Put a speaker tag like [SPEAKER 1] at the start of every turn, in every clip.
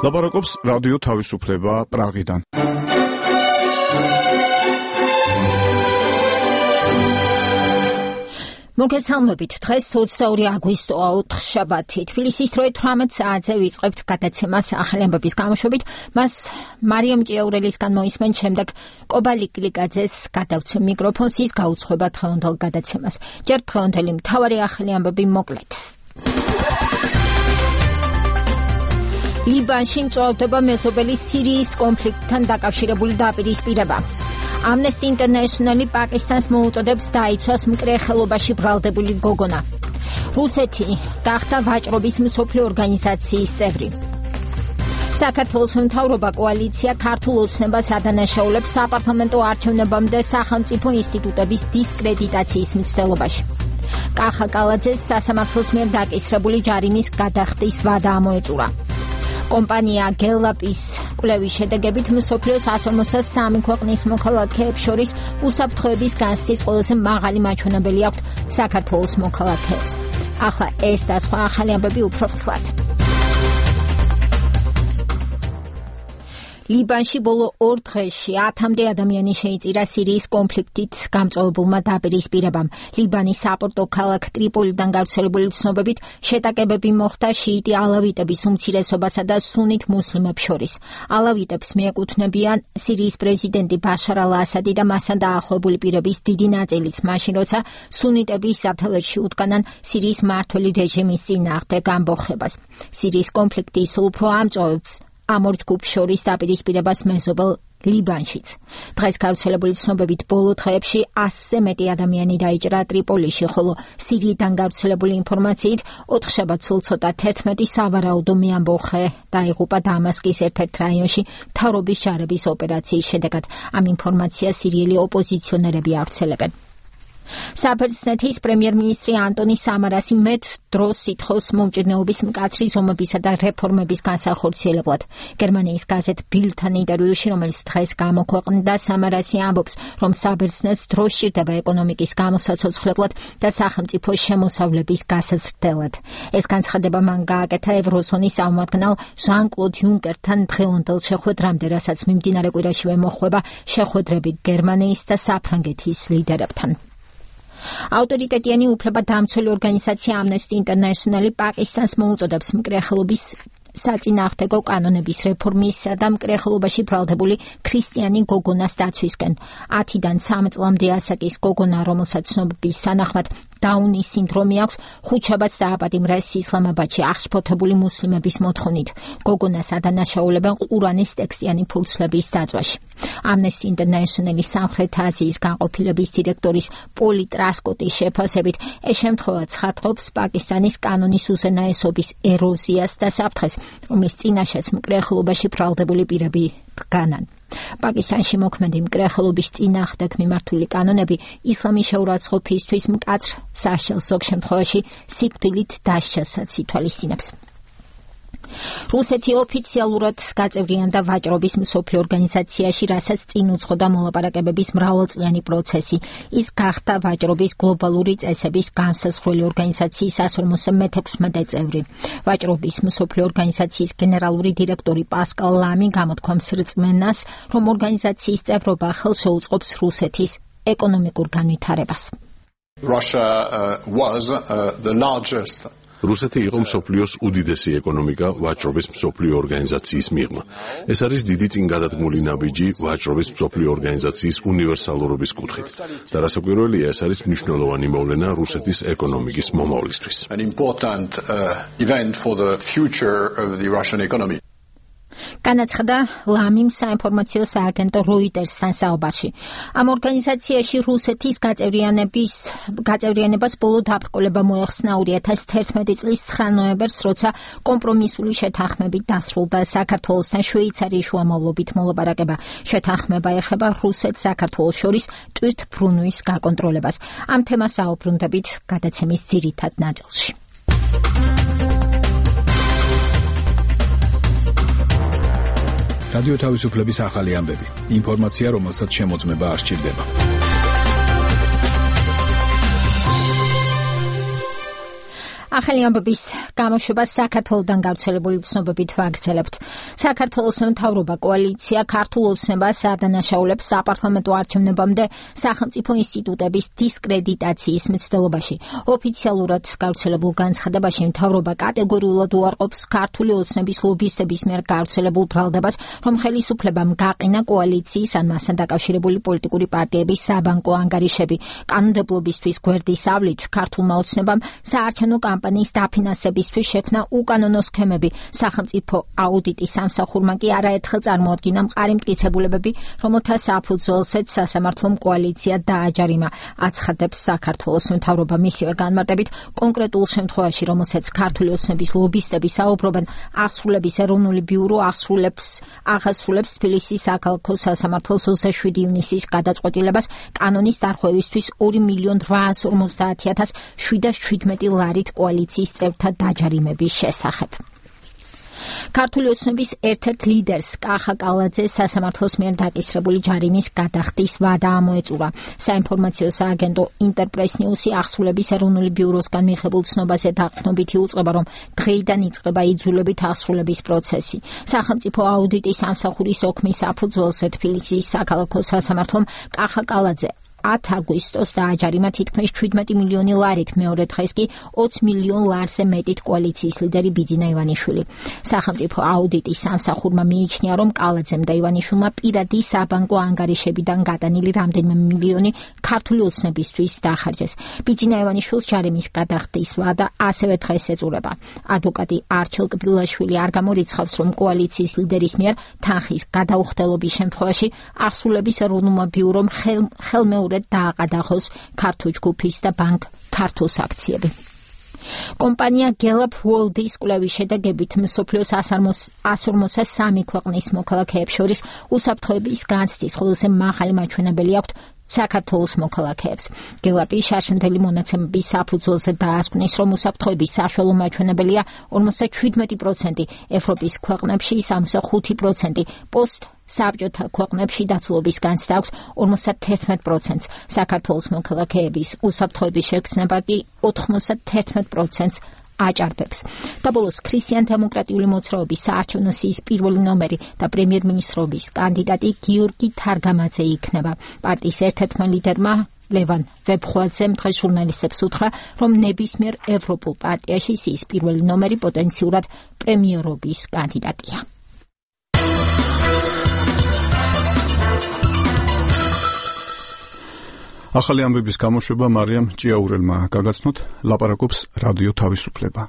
[SPEAKER 1] ლაპარაკობს რადიო თავისუფლება პრაღიდან.
[SPEAKER 2] მოგესალმებით. დღეს 22 აგვისტოა, ოთხშაბათი. თბილისის დროით 18 საათზე ვიწყებთ გადაცემას ახალი ამბების გამოშვებით. მას მარიამ ჭიაურელისგან მოისმენთ, შემდეგ კობალი გლიკაძეს გადავცემ მიკროფონს, ის გაუძღვება დღევანდელ გადაცემას. ჯერ დღევანდელი მთავარი ახალი ამბები მოკლედ. ლიბანში მწვავდება მეზობელი სირიის კონფლიქტთან დაკავშირებული დაპირისპირება. Amnesty International პაკისტანს მოუწოდებს დაიცვას მკრეხელობაში ბრალდებული გოგონა. რუსეთი გახდა ვაჭრობის მსოფლიო ორგანიზაციის წევრი. საქართველოს მთავრობა კოალიცია ქართულ ოცნებას ადანაშაულებს საპარლამენტო არჩევნებამდე სახელმწიფო ინსტიტუტების დისკრედიტაციის მცდელობაში. კახა კალაძეს სასამართლოს მიერ დაკისრებული ჯარიმის გადახდის ვადა ამოეწურა. კომპანია გელაპის კვლევის შედეგებით მსოფლიოს 153 ქვეყნის მოქალაქეებს შორის უსაფრთხოების განცდის ყველაზე მაღალი მაჩვენებელი აქვთ საქართველოს მოქალაქეებს. ახლა ეს და სხვა ახალი ამბები უფრო ხსლად. ლიბანში ბოლო 2 დღეში 10-მდე ადამიანი შეიწირა სირიის კონფლიქტით გამწვავებულმა დაპირისპირებამ. ლიბანის საპორტო ქალაქ ტრიპოლიდან გავრცელებული ცნობებით შეტაკებები მოხდა შიიტი ალავიტების უმცირესობასა და სუნით მუსლიმებს შორის. ალავიტებს მიეკუთვნებიან სირიის პრეზიდენტი ბაშარ ალ-ასადი და მასთან დაახლოებული პირების დიდი ნაწილიც, მაშინ როცა სუნიტები საფრთხეში უდგანან სირიის მმართველი რეჟიმის წინააღმდეგ ამბოხებას. სირიის კონფლიქტი ისევ უფრო ამწვავებს ამ ორ ჯგუფს შორის დაპირისპირებას მეზობელ ლიბანშიც. დღეს გავრცელებული ცნობებით ბოლო დღეებში 100-ზე მეტი ადამიანი დაიჭრა ტრიპოლიში, ხოლო სირიიდან გავრცელებული ინფორმაციით 4 შაბათს სულ ცოტა 11 სავარაუდო მეამბოხე დაიღუპა დამასკის ერთ-ერთ რაიონში მთავრობის ჯარების ოპერაციის შედეგად. ამ ინფორმაციას სირიელი ოპოზიციონერები ავრცელებენ. საბერძნეთის პრემიერ-მინისტრი ანტონი სამარასი მეტ დროს ითხოვს მომჭირნეობის მკაცრი ზომებისა და რეფორმების განსახორციელებლად. გერმანიის გაზეთ ბილდთან ინტერვიუში, რომელიც დღეს გამოქვეყნდა, სამარასი ამბობს, რომ საბერძნეთს დრო სჭირდება ეკონომიკის გამოსაცოცხლებლად და სახელმწიფო შემოსავლების გასაზრდელად. ეს განცხადება მან გააკეთა ევროზონის წარმომადგენელ ჟან-კლოდ იუნკერთან დღევანდელ შეხვედრამდე, რასაც მიმდინარე კვირაშივე მოჰყვება შეხვედრები გერმანიის და საფრანგეთის ლიდერებთან. ავტორიტეტიანი უფლებადამცველი ორგანიზაცია Amnesty International პაკისტანს მოუწოდებს მკრეხელობის საწინააღმდეგო კანონების რეფორმისა და მკრეხელობაში ბრალდებული ქრისტიანი გოგონას დაცვისკენ. 10-დან 3 წლამდე ასაკის გოგონა, რომელსაც ცნობების სანახმად დაუნის სინდრომი აქვს, 5 შაბათს დააპატიმრეს ისლამაბადში აღშფოთებული მუსლიმების მოთხოვნით. გოგონას ადანაშაულებენ ყურანის ტექსტიანი ფურცლების დაწვაში. Amnesty International-ის სამხრეთ აზიის განყოფილების დირექტორის პოლი ტრასკოტის შეფასებით, ეს შემთხვევა ცხადყოფს პაკისტანის კანონის უზენაესობის ეროზიას და საფრთხეს, რომლის წინაშეც მკრეხელობაში ბრალდებული პირები დგანან. პაკისტანში მოქმედი მკრეხელობის წინააღმდეგ მიმართული კანონები ისლამის შეურაცხყოფისთვის მკაცრ საშიშელს ზოგ შემთხვევაში სიკვდილით დასჯასაც ითვალისწინებს. რუსეთი ოფიციალურად გაწევრიანდა ვაჭრობის მსოფლიო ორგანიზაციაში, რასაც წინ უძღოდა მოლაპარაკებების მრავალწლიანი პროცესი. ის გახდა ვაჭრობის გლობალური წესების განსაზღვრელი ორგანიზაციის 156 წევრი. ვაჭრობის მსოფლიო ორგანიზაციის გენერალური დირექტორი პასკალ ლამი გამოთქვამს რწმენას, რომ ორგანიზაციის წევრობა ხელს შეუწყობს რუსეთის ეკონომიკურ განვითარებას.
[SPEAKER 3] Russia was the largest
[SPEAKER 4] რუსეთი იყო მსოფლიოს უდიდესი ეკონომიკა ვაჭრობის მსოფლიო ორგანიზაციის მიღმა. ეს არის დიდი წინ გადადგმული ნაბიჯი ვაჭრობის მსოფლიო ორგანიზაციის უნივერსალურობის კუთხით. და რასაკვირველია, ეს არის მნიშვნელოვანი მოვლენა რუსეთის ეკონომიკის მომავლისთვის.
[SPEAKER 3] An important event for the future of the Russian economy.
[SPEAKER 2] განაცხადა ლამიმ საინფორმაციო სააგენტო როიტერსთან საუბარში. ამ ორგანიზაციაში რუსეთის გაწევრიანებას ბოლო დაბრკოლება მოეხსნა 2011 წლის 9 ნოემბერს, როცა კომპრომისული შეთანხმებით დასრულდა საქართველოსთან შვეიცარიის შუამავლობით მოლაპარაკება. შეთანხმება ეხება რუსეთს საქართველოს შორის ტვირთბრუნვის გაკონტროლებას. ამ თემას აუბრუნდებით გადაცემის ძირითად ნაწილში.
[SPEAKER 1] რადიო თავისუფლების ახალი ამბები. ინფორმაცია, რომელსაც შემოწმება არ სჭირდება.
[SPEAKER 2] ახალი ამბების გამოშვება საქართველოდან გავრცელებული ცნობებით ვაგრძელებთ. საქართველოს მთავრობა კოალიცია ქართულ ოცნებას ადანაშაულებს საპარლამენტო არჩევნებამდე სახელმწიფო ინსტიტუტების დისკრედიტაციის მცდელობაში. ოფიციალურად გავრცელებულ განცხადებაში მთავრობა კატეგორიულად უარყოფს ქართული ოცნების ლობისტების მიერ გავრცელებულ ბრალდებას, რომ ხელისუფლებამ გაყინა კოალიციის ან მასთან დაკავშირებული პოლიტიკური პარტიების საბანკო ანგარიშები. კანონმდებლობისთვის გვერდის ავლით ქართულმა ოცნებამ საარჩევნო კამპანიის დაფინანსებისთვის შექმნა უკანონო სქემები. სახელმწიფო აუდიტის სამსახურმა კი არაერთხელ წარმოადგინა მყარი მტკიცებულებები, რომელთა საფუძველზეც სასამართლომ კოალიცია დააჯარიმა. აცხადებს საქართველოს მთავრობა მისივე განმარტებით, კონკრეტულ შემთხვევაში, რომელსაც ქართული ოცნების ლობისტები საუბრობენ, აღსრულების ეროვნული ბიურო აღასრულებს თბილისის საქალაქო სასამართლოს 27 ივნისის გადაწყვეტილებას კანონის დარღვევისთვის 2,850,717 ლარით კოალიციის წევრთა დაჯარიმების შესახებ. ქართული ოცნების ერთ-ერთ ლიდერს კახა კალაძეს სასამართლოს მიერ დაკისრებული ჯარიმის გადახდის ვადა ამოეწურა. საინფორმაციო სააგენტო ინტერპრეს ნიუსი აღსრულების ეროვნული ბიუროსგან მიღებულ ცნობაზე დაყრდნობითი უწყება, რომ დღეიდან იწყება იძულებით აღსრულების პროცესი. სახელმწიფო აუდიტის სამსახურის ოქმის საფუძველზე თბილისის საქალაქო სასამართლომ კახა კალაძე 10 აგვისტოს დააჯარიმა თითქმის 17 მილიონი ლარით, მეორე დღეს კი 20 მილიონ ლარზე მეტით კოალიციის ლიდერი ბიძინა ივანიშვილი. სახელმწიფო აუდიტის სამსახურმა მიიჩნია, რომ კალაძემ და ივანიშვილმა პირადი საბანკო ანგარიშებიდან გადანილი რამდენიმე მილიონი ქართული ოცნებისთვის დახარჯეს. ბიძინა ივანიშვილს ჯარიმის გადახდის ვადა ასევე დღეს ეწურება. ადვოკატი არჩილ კბილაშვილი არ გამორიცხავს, რომ კოალიციის ლიდერის მიერ თანხის გადაუხდელობის შემთხვევაში აღსრულების ეროვნულმა ბიურომ ხელმეორედ დააყადაღოს ქართულ ჯგუფის და ბანკ ქართულს აქციები. კომპანია Gallup World-ის კვლევის შედეგებით მსოფლიოს 143 ქვეყნის მოქალაქეებს შორის უსაფრთხოების განცდის ყველაზე მაღალი მაჩვენებელი აქვთ საქართველოს მოქალაქეებს. Gallup-ი შარშანდელი მონაცემების საფუძველზე დაასკვნის, რომ უსაფრთხოების საშუალო მაჩვენებელია 57%, ევროპის ქვეყნებში 65%, საბჭოთა ქვეყნებში დაცულობის განცდა აქვს 51%. საქართველოს მოქალაქეების უსაფრთხოების შეგრძნება კი 91%-ს აჭარბებს. და ბოლოს ქრისტიან-დემოკრატიული მოძრაობის საარჩევნო სიის პირველი ნომერი და პრემიერ-მინისტრობის კანდიდატი გიორგი თარგამაძე იქნება. პარტიის ერთ-ერთმა ლიდერმა ლევან ვებხვაძემ დღეს ჟურნალისტებს უთხრა, რომ ნებისმიერ ევროპულ პარტიაში სიის პირველი ნომერი პოტენციურად პრემიერობის კანდიდატია.
[SPEAKER 1] ახალი ამბების გამოშვება მარიამ ჭიაურელმა გაგაცნოთ, ლაპარაკობს რადიო თავისუფლება.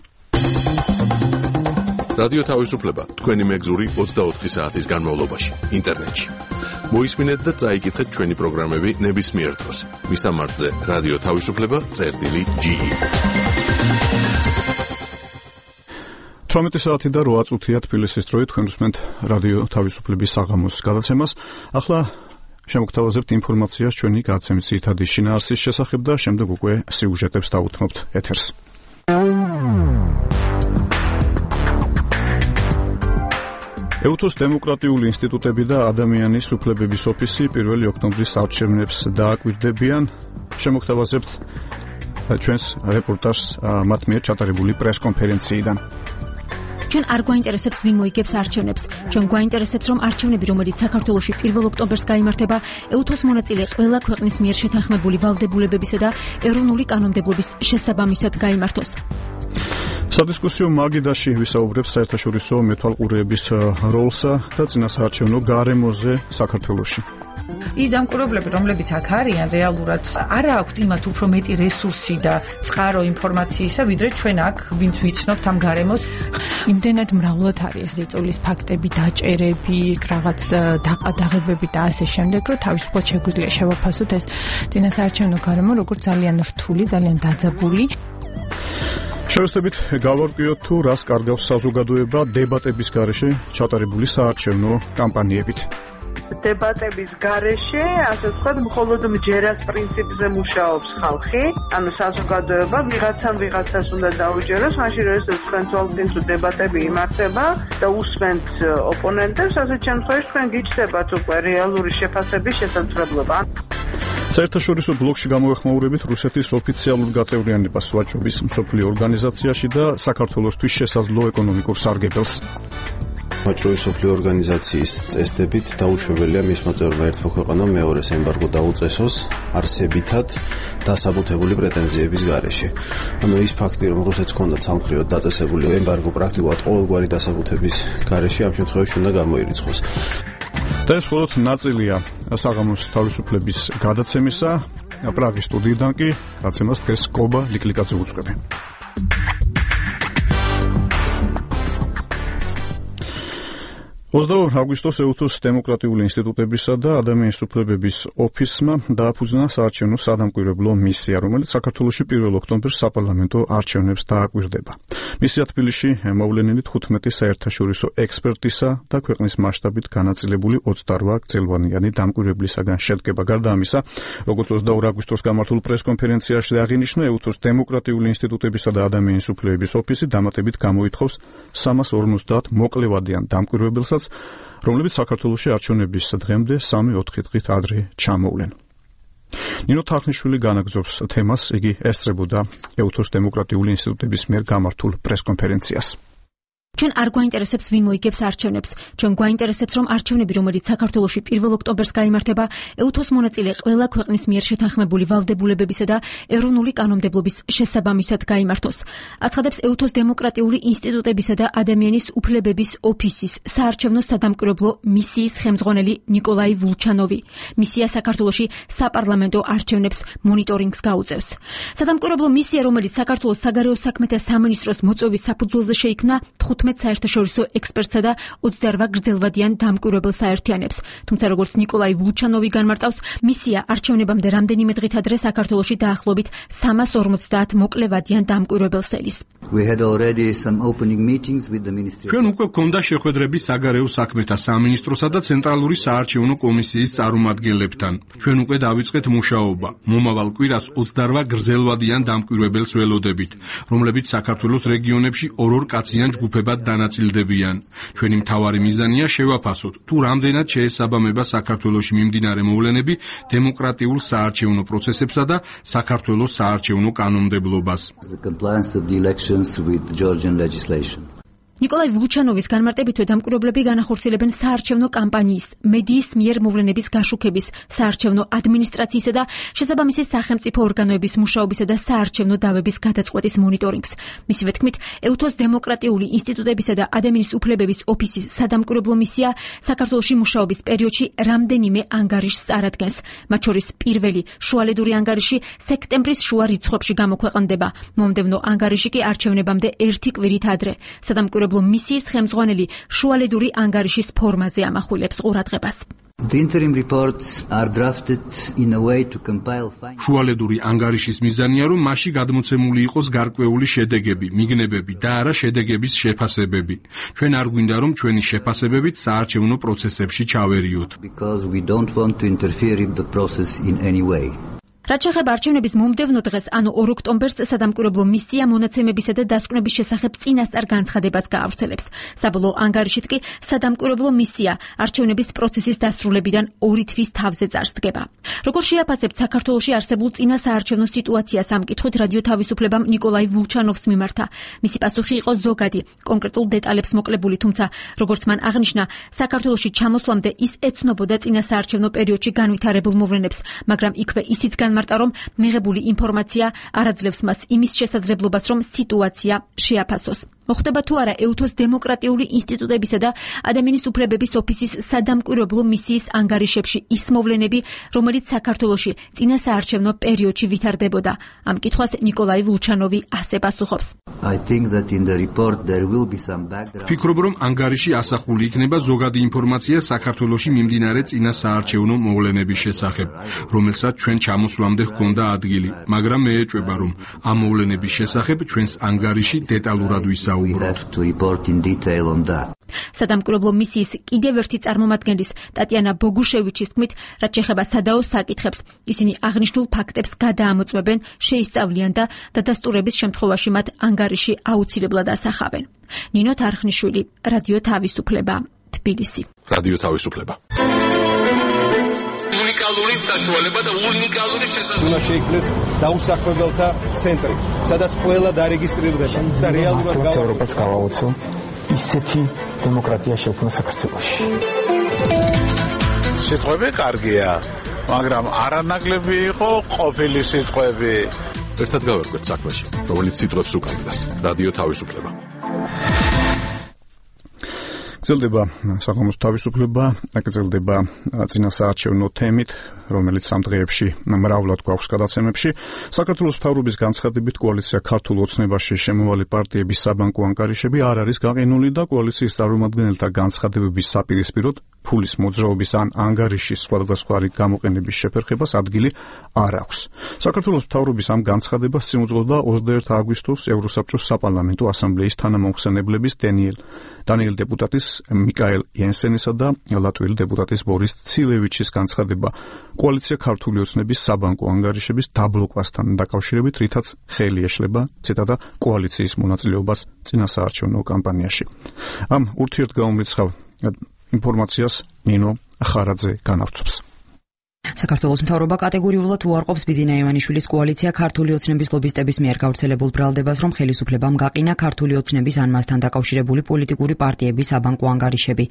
[SPEAKER 4] რადიო თავისუფლება თქვენი მეგზური 24 საათის განმავლობაში ინტერნეტში. მოისმინეთ და წაიკითხეთ ჩვენი პროგრამები ნებისმიერ დროს. მისამართზე რადიო თავისუფლება.ge
[SPEAKER 1] 18 საათი და 8 წუთია თბილისის დროით, თქვენ უსმენთ რადიო თავისუფლების საღამოს გადაცემას. ახლა შემოგთავაზებთ ინფორმაციას ჩვენი გადაცემის ძირითადი შინაარსის შესახებ და შემდეგ უკვე სიუჟეტებს დავუთმობთ ეთერს. ეუთოს დემოკრატიული ინსტიტუტები და ადამიანის უფლებების ოფისი 1 ოქტომბრის არჩევნებს დააკვირდებიან. შემოგთავაზებთ ჩვენს რეპორტაჟს მათ მიერ ჩატარებული პრესკონფერენციიდან.
[SPEAKER 5] ჩვენ არ გვაინტერესებს ვინ მოიგებს არჩევნებს. ჩვენ გვაინტერესებს, რომ არჩევნები, რომელიც საქართველოში 1 ოქტომბერს გაიმართება, ეუთოს მონაწილე ყველა ქვეყნის მიერ შეთანხმებული ვალდებულებებისა და ეროვნული კანონმდებლობის შესაბამისად გაიმართოს.
[SPEAKER 1] სადისკუსიო მაგიდაში ვისაუბრებს საერთაშორისო მეთვალყურეების როლსა და წინასაარჩევნო გარემოზე საქართველოში.
[SPEAKER 6] ის დამკვირვებლები, რომლებიც აქ არიან, რეალურად არ აქვთ იმათ უფრო მეტი რესურსი და წყარო ინფორმაციისა, ვიდრე ჩვენ აქ, ვინც ვიცნობთ ამ გარემოს.
[SPEAKER 7] იმდენად მრავლად არის დაწოლის ფაქტები, დაჭერები, რაღაც დაყადაღებები და ასე შემდეგ, რომ თავისუფლად შეგვიძლია შევაფასოთ ეს წინასაარჩევნო გარემო, როგორც ძალიან რთული, ძალიან დაძაბული.
[SPEAKER 1] შევეცდებით გავარკვიოთ თუ რას კარგავს საზოგადოება დებატების გარეშე ჩატარებული საარჩევნო კამპანიებით.
[SPEAKER 8] დებატების გარეშე, ასე ვთქვათ, მხოლოდ მჯერას პრინციპზე მუშაობს ხალხი, ანუ საზოგადოება ვიღაცას უნდა დაუჯეროს, მაშინ როდესაც თქვენ თვალწინ თუ დებატები იმართება და უსმენთ ოპონენტებს, ასეთ შემთხვევაში თქვენ გიჩნდებათ უკვე რეალური შეფასების შესაძლებლობა.
[SPEAKER 1] საერთაშორისო ბლოკში გამოეხმაურებით რუსეთის ოფიციალურ გაწევრიანებას ვაჭრობის მსოფლიო ორგანიზაციაში და საქართველოსთვის შესაძლო ეკონომიკურ სარგებელს.
[SPEAKER 9] ვაჭრობის მსოფლიო ორგანიზაციის წესდებით დაუშვებელია მისმა წევრმა ერთმა ქვეყანამ მეორეს ემბარგო დაუწესოს არსებითად დასაბუთებული პრეტენზიების გარეშე. ანუ ის ფაქტი, რომ რუსეთს ჰქონდა ცალმხრივად დაწესებული ემბარგო პრაქტიკულად ყოველგვარი დასაბუთების გარეშე ამ შემთხვევაში უნდა გამოირიცხოს.
[SPEAKER 1] და ეს მხოლოდ ნაწილია საღამოს თავისუფლების გადაცემისა. პრაღის სტუდიიდან კი გადაცემას დღეს კობა ლიკლიკაძე უძღვები. 22 აგვისტოს ეუთოს დემოკრატიული ინსტიტუტებისა და ადამიანის უფლებების ოფისმა დააფუძნა საარჩევნო სადამკვირვებლო მისია, რომელიც საქართველოში 1 ოქტომბერს საპარლამენტო არჩევნებს დააკვირდება. მისია თბილისში მოვლენილი 15 საერთაშორისო ექსპერტისა და ქვეყნის მასშტაბით განაწილებული 28 გრძელვადიანი დამკვირვებლისაგან შედგება. გარდა ამისა, როგორც 22 აგვისტოს გამართულ პრესკონფერენციაში აღინიშნა, ეუთოს დემოკრატიული ინსტიტუტებისა და ადამიანის უფლებების ოფისი დამატებით გამოითხოვს 350 მოკლევადიან დამკვირვებელსაც, რომლებიც საქართველოში არჩევნების დღემდე 3-4 დღით ადრე ჩამოვლენ. ნინო თახნიშვილი განაგზობს თემას, იგი ესწრებოდა ეუთოს დემოკრატიული ინსტიტუტების მიერ გამართულ პრესკონფერენციას.
[SPEAKER 5] ჩვენ არ გვაინტერესებს ვინ მოიგებს არჩევნებს. ჩვენ გვაინტერესებს, რომ არჩევნები, რომელიც საქართველოში 1 ოქტომბერს გაიმართება, ეუთოს მონაწილე ყველა ქვეყნის მიერ შეთანხმებული ვალდებულებებისა და ეროვნული კანონმდებლობის შესაბამისად გაიმართოს. აცხადებს ეუთოს დემოკრატიული ინსტიტუტებისა და ადამიანის უფლებების ოფისის საარჩევნო სადამკვირვებლო მისიის ხელმძღვანელი ნიკოლაი ვულჩანოვი. მისია საქართველოში საპარლამენტო არჩევნებს მონიტორინგს გაუწევს. სადამკვირვებლო მისია, რომელიც საქართველოს საგარეო საქმეთა სამინისტროს მოწვევის საფუძველზე შეიქმნა, 15 საერთაშორისო ექსპერტსა და 28 გრძელვადიან დამკვირვებელს აერთიანებს. თუმცა როგორც ნიკოლაი ვულჩანოვი განმარტავს, მისია არჩევნებამდე რამდენიმე დღით ადრე საქართველოში დაახლოებით 350 მოკლევადიან დამკვირვებელს ელის.
[SPEAKER 10] ჩვენ უკვე გვქონდა შეხვედრები საგარეო საქმეთა სამინისტროსა და ცენტრალური საარჩევნო კომისიის წარმომადგენლებთან. ჩვენ უკვე დავიწყეთ მუშაობა. მომავალ კვირას 28 გრძელვადიან დამკვირვებელს ველოდებით, რომლებიც საქართველოს რეგიონებში ორ კაციან ჯგუფებად დანაწილდებიან. ჩვენი მთავარი მიზანია შევაფასოთ, თუ რამდენად შეესაბამება საქართველოში მიმდინარე მოვლენები დემოკრატიულ საარჩევნო პროცესებსა და საქართველოს საარჩევნო კანონმდებლობას.
[SPEAKER 5] ნიკოლაი ვულჩანოვის განმარტებითვე დამკვირვებლები განახორციელებენ საარჩევნო კამპანიის, მედიის მიერ მოვლენების გაშუქების, საარჩევნო ადმინისტრაციისა და შესაბამისი სახელმწიფო ორგანოების მუშაობისა და საარჩევნო დავების გადაწყვეტის მონიტორინგს. მისივე თქმით, ეუთოს დემოკრატიული ინსტიტუტებისა და ადამიანის უფლებების ოფისის სადამკვირვებლო მისია საქართველოში მუშაობის პერიოდში რამდენიმე ანგარიშს წარადგენს. მათ შორის პირველი შუალედური ანგარიში სექტემბრის შუა რიცხვებში გამოქვეყნდება. მომდევნო ანგარიში კი არჩევნებამდე 1 კვირით ადრე. სადამკვირვებლო მისიის ხელმძღვანელი შუალედური ანგარიშის ფორმაზე ამახვილებს ყურადღებას.
[SPEAKER 10] შუალედური ანგარიშის მიზანია, რომ მასში გადმოცემული იყოს გარკვეული შედეგები, მიგნებები და არა შედეგების შეფასებები. ჩვენ არ გვინდა, რომ ჩვენი შეფასებებით საარჩევნო პროცესებში ჩავერიოთ.
[SPEAKER 5] რაც შეეხება არჩევნების მომდევნო დღეს, ანუ 2 ოქტომბერს სადამკვირვებლო მისია მონაცემებისა და დასკვნების შესახებ წინასწარ განცხადებას გაავრცელებს. საბოლოო ანგარიშით კი სადამკვირვებლო მისია არჩევნების პროცესის დასრულებიდან 2 თვის თავზე წარსდგება. როგორ შეაფასებთ საქართველოში არსებულ წინა საარჩევნო სიტუაციას, ამ კითხვით რადიო თავისუფლებამ ნიკოლაი ვულჩანოვს მიმართა. მისი პასუხი იყო ზოგადი, კონკრეტულ დეტალებს მოკლებული, თუმცა როგორც მან აღნიშნა, საქართველოში ჩამოსვლამდე ის ეცნობოდა წინა საარჩევნო პერიოდში განვითარებულ მოვლენებს, მაგრამ იქვე ისიც მართა რომ მიღებული ინფორმაცია არ აძლევს მას იმის შესაძლებლობას, რომ სიტუაცია შეაფასოს. მოხდება თუ არა ეუთოს დემოკრატიული ინსტიტუტებისა და ადამიანის უფლებების ოფისის სადამკვირვებლო მისიის ანგარიშებში ის მოვლენები, რომელიც საქართველოში წინა საარჩევნო პერიოდში ვითარდებოდა. ამ კითხვას ნიკოლაი ვულჩანოვი ასე პასუხობს.
[SPEAKER 10] ვფიქრობ, რომ ანგარიში ასახული იქნება ზოგადი ინფორმაცია საქართველოში მიმდინარე წინა საარჩევნო მოვლენების შესახებ, რომელსაც ჩვენ ჩამოსვლამდე ჰქონდა ადგილი, მაგრამ მე ეჭვება, რომ ამ მოვლენების შესახებ ჩვენს ანგარიში დეტალურად ვისაუბრებთ.
[SPEAKER 5] სადამკვირვებლო მისიის კიდევ ერთი წარმომადგენლის ტატიანა ბოგუშევიჩის თქმით, რაც შეეხება სადაო საკითხებს, ისინი აღნიშნულ ფაქტებს გადაამოწმებენ, შეისწავლიან და დადასტურების შემთხვევაში მათ ანგარიში აუცილებლად ასახავენ. ნინო თარხნიშვილი, რადიო თავისუფლება, თბილისი.
[SPEAKER 4] რადიო თავისუფლება.
[SPEAKER 11] უნიკალური უნიკალური საშუალება და უნიკალური შესაძლებლობა.
[SPEAKER 12] უნდა შეიქმნეს დაუსაქმებელთა ცენტრი, სადაც ყველა დარეგისტრირდება და რეალურად
[SPEAKER 13] ევროპას გავაოცო ისეთი დემოკრატია შექმნა საქართველოში.
[SPEAKER 14] სიტყვები კარგია, მაგრამ არანაკლები იყო ყოფილი სიტყვები.
[SPEAKER 4] ერთად გავერკვეთ საქმეში, რომელიც სიტყვებს უკავშირდება. რადიო თავისუფლება.
[SPEAKER 1] გრძელდება საღამოს თავისუფლება, გრძელდება წინასაარჩევნო თემით, რომელიც ამ დღეებში მრავლად გვაქვს გადაცემებში. საქართველოს მთავრობის განცხადებით კოალიცია ქართულ ოცნებაში შემოვალი პარტიების საბანკო ანგარიშები არ არის გაყინული და კოალიციის წარმომადგენელთა განცხადებების საპირისპიროდ ფულის მოძრაობის ან ანგარიშის სხვადასხვაგვარი გამოყენების შეფერხებას ადგილი არ აქვს. საქართველოს მთავრობის ამ განცხადებას წინ უძღოდა 21 აგვისტოს ევროსაბჭოს საპარლამენტო ასამბლეის თანამომხსენებლების დანიელ დეპუტატის მიკაელ იენსენისა და ლატვიელი დეპუტატის ბორის ცილევიჩის განცხადება კოალიცია ქართული ოცნების საბანკო ანგარიშების დაბლოკვასთან დაკავშირებით, რითაც ხელი ეშლება ციტატა კოალიციის მონაწილეობას წინასაარჩევნო კამპანიაში. ამ ურთიერთგამომრიცხავ ინფორმაციას ნინო ხარაძე განავრცობს.
[SPEAKER 15] საქართველოს მთავრობა კატეგორიულად უარყოფს ბიძინა ივანიშვილის კოალიცია ქართული ოცნების ლობისტების მიერ გავრცელებულ ბრალდებას, რომ ხელისუფლებამ გაყინა ქართული ოცნების ან მასთან დაკავშირებული პოლიტიკური პარტიების საბანკო ანგარიშები.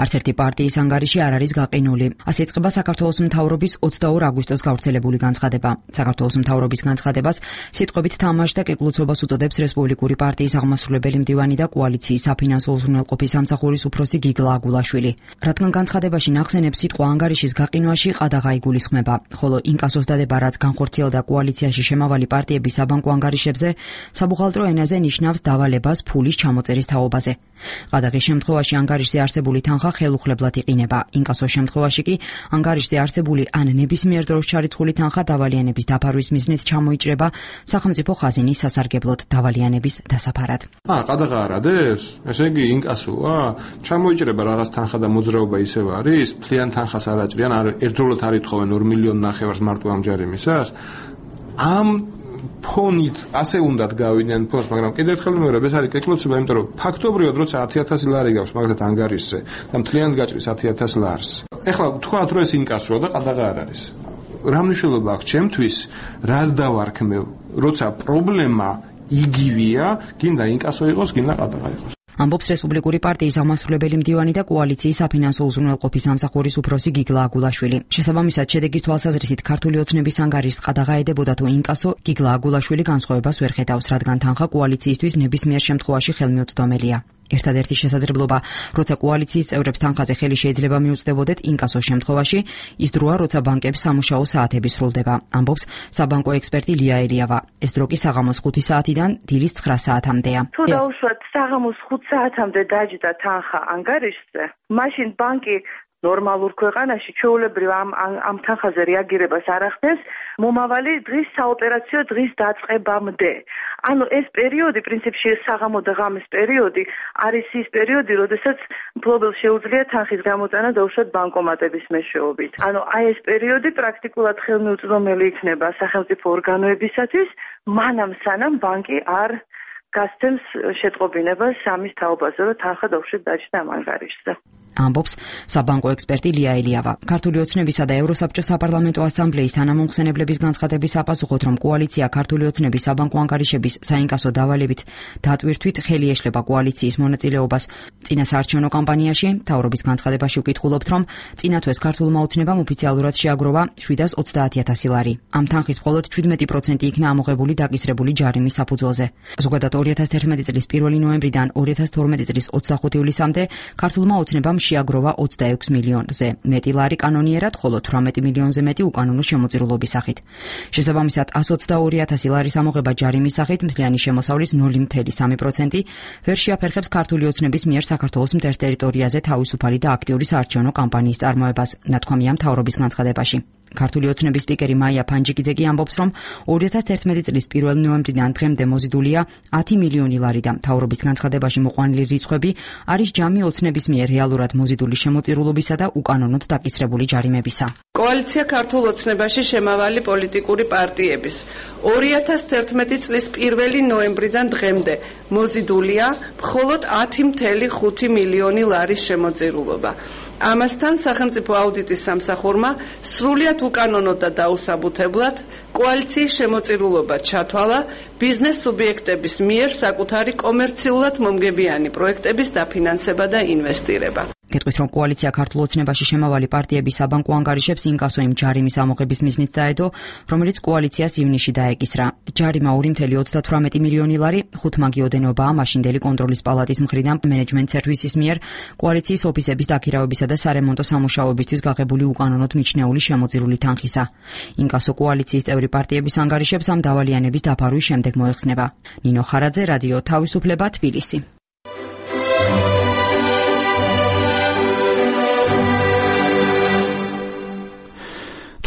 [SPEAKER 15] არც ერთი პარტიის ანგარიში არ არის გაყინული. ასე იწყება საქართველოს მთავრობის 22 აგვისტოს გავრცელებული განცხადება. საქართველოს მთავრობის განცხადებას სიტყვებით თამაშს და კეკლუცობას უწოდებს რესპუბლიკური პარტიის აღმასრულებელი მდივანი და კოალიციის საფინანსო უზრუნველყოფის სამსახურის უფროსი გიგლა აგულაშვილი. რადგან განცხადებაში ნახსენებს სიტყვა ანგარიშის გაყინვაში ყადაღა იგულისხმება, ხოლო ინკასოს დადება, რაც განხორციელდა კოალიციაში შემავალი პარტიების საბანკო ანგარიშებზე, საბუღალტრო ენაზე ნიშნავს დავალებას ფულის ჩამოწერის თაობაზე. ყადაღის შემთხვევაში ანგარიშზე არსებული თანხა ხელუხლებლად იყინება. ინკასოს შემთხვევაში კი ანგარიშზე არსებული ან ნებისმიერ დროს ჩარიცხული თანხა დავალიანების დაფარვის მიზნით ჩამოიჭრება სახელმწიფო ხაზინის სასარგებლოდ დავალიანების დასაფარად.
[SPEAKER 16] ყადაღა არ არის? ესე იგი ინკასოა? ჩამოიჭრება რაღაც თანხა და მოძრაობა ისევ არის? მთლიან თანხას არ აჭრიან, ერთდროულად არ ითხოვენ 2 მილიონი ნახევარს მარტო ამ ჯარიმისას. ამ ფონით ასე უნდათ გავიდნენ ფონს, მაგრამ კიდევ ერთხელ ვიმეორებ, ეს არის კეკლუცობა, იმიტომ რომ ფაქტობრივად როცა 10,000 ლარი გაქვს მაგათ ანგარიშზე და მთლიანად გაჭრის 10,000 ლარს. ეხლა თქვათ რომ ეს ინკასოა და ყადაღა არ არის. რა მნიშვნელობა აქვს ჩემთვის, რას დავარქმევ, როცა პრობლემა იგივეა, გინდა ინკასო იყოს, გინდა ყადაღა იყოს.
[SPEAKER 15] ამბობს რესპუბლიკური პარტიის აღმასრულებელი მდივანი და კოალიციის საფინანსო უზრუნველყოფის სამსახურის უფროსი გიგლა აგულაშვილი. შესაბამისად, შედეგის თვალსაზრისით ქართული ოცნების ანგარიშს ყადაღა ედებოდა თუ ინკასო, გიგლა აგულაშვილი განსხვავებას ვერ ხედავს, რადგან თანხა კოალიციისთვის ნებისმიერ შემთხვევაში ხელმიუწვდომელია. ერთადერთი შესაძლებლობა, როცა კოალიციის წევრებს თანხაზე ხელი შეიძლება მიუწვდებოდეთ ინკასოს შემთხვევაში, ის დროა, როცა ბანკებს სამუშაო საათები სრულდება, ამბობს საბანკო ექსპერტი ლია ელიავა. ეს დრო კი საღამოს 5 საათიდან დილის 9 საათამდეა.
[SPEAKER 8] თუ დაუშვათ საღამოს 5 საათამდე დაჯდა თანხა ანგარიშზე, მაშინ ბანკი ნორმალურ ქვეყანაში ჩვეულებრივ ამ თანხაზე რეაგირებას არ ახდენს მომავალი დღის საოპერაციო დღის დაწყებამდე. ანუ ეს პერიოდი პრინციპში საღამო და ღამის პერიოდი არის ის პერიოდი, როდესაც მფლობელს შეუძლია თანხის გამოწენა დაუშვათ ბანკომატების მეშვეობით. ანუ აი ეს პერიოდი პრაქტიკულად ხელმიუწვდომელი იქნება სახელმწიფო ორგანოებისათვის, მანამ სანამ ბანკი არ გასცემს შეტყობინებას სამის თაობაზე, რომ თანხა დაუშვათ დაჯდა ამ ანგარიშზე.
[SPEAKER 15] ამბობს საბანკო ექსპერტი ლია ელიავა. ქართული ოცნებისა და ევროსაბჭოს საპარლამენტო ასამბლეის თანამომხსენებლების განცხადების საპასუხოდ, რომ კოალიცია ქართული ოცნების საბანკო ანგარიშების საინკასო დავალებით დატვირთვით ხელი ეშლება კოალიციის მონაწილეობას წინასაარჩევნო კამპანიაში, მთავრობის განცხადებაში ვკითხულობთ, რომ წინა თვეს ქართულმა ოცნებამ ოფიციალურად შეაგროვა 730,000 ლარი. ამ თანხის მხოლოდ 17% იქნა ამოღებული დაკისრებული ჯარიმის საფუძველზე. ზოგადად 2011 წლის 1 ნოემბრიდან 2012 წლის 25 ივლისამდე ქართულმა ოცნებამ შეაგროვა 26 მილიონზე მეტი ლარი კანონიერად, ხოლო 18 მილიონზე მეტი უკანონო შემოწირულობის სახით. შესაბამისად, 122,000 ლარის ამოღება ჯარიმის სახით მთლიანი შემოსავლის 0.3% ვერ შეაფერხებს ქართული ოცნების მიერ საქართველოს მტერს ტერიტორიაზე თავისუფალი და აქტიური საარჩევნო კამპანიის წარმოებას, ნათქვამია მთავრობის განცხადებაში. ქართული ოცნების სპიკერი მაია ფანჯიკიძე კი ამბობს, რომ 2011 წლის 1 ნოემბრიდან დღემდე მოზიდულია 10 მილიონი ლარი და მთავრობის განცხადებაში მოყვანილი რიცხვები არის ჯამი ოცნების მიერ რეალურად მოზიდული შემოწირულობისა და უკანონოდ დაკისრებული ჯარიმებისა.
[SPEAKER 17] კოალიცია ქართულ ოცნებაში შემავალი პოლიტიკური პარტიების 2011 წლის 1 ნოემბრიდან დღემდე მოზიდულია მხოლოდ 10.5 მილიონი ლარის შემოწირულობა. ამასთან სახელმწიფო აუდიტის სამსახურმა სრულიად უკანონოდ და დაუსაბუთებლად კოალიციის შემოწირულობა ჩათვალა ბიზნეს სუბიექტების მიერ საკუთარი კომერციულად მომგებიანი პროექტების დაფინანსება და ინვესტირება.
[SPEAKER 15] გეტყვით, რომ კოალიცია ქართულ ოცნებაში შემავალი პარტიების საბანკო ანგარიშებს ინკასო იმ ჯარიმის ამოღების მიზნით დაედო, რომელიც კოალიციას ივნისში დაეკისრა. ჯარიმა 2.38 მილიონი ლარი, 5 მაგიოდენობაა მაშინდელი კონტროლის პალატის მხრიდან მენეჯმენტ სერვისის მიერ კოალიციის ოფისების დაქირავებისა და სარემონტო სამუშაოებისთვის გაღებული უკანონოდ მიჩნეული შემოწირული თანხისა. ინკასო კოალიციის წევრი პარტიების ანგარიშებს ამ დავალიანების დაფარვის შემდეგ მოეხსნება. ნინო ხარაძე, რადიო თავისუფლება, თბილისი.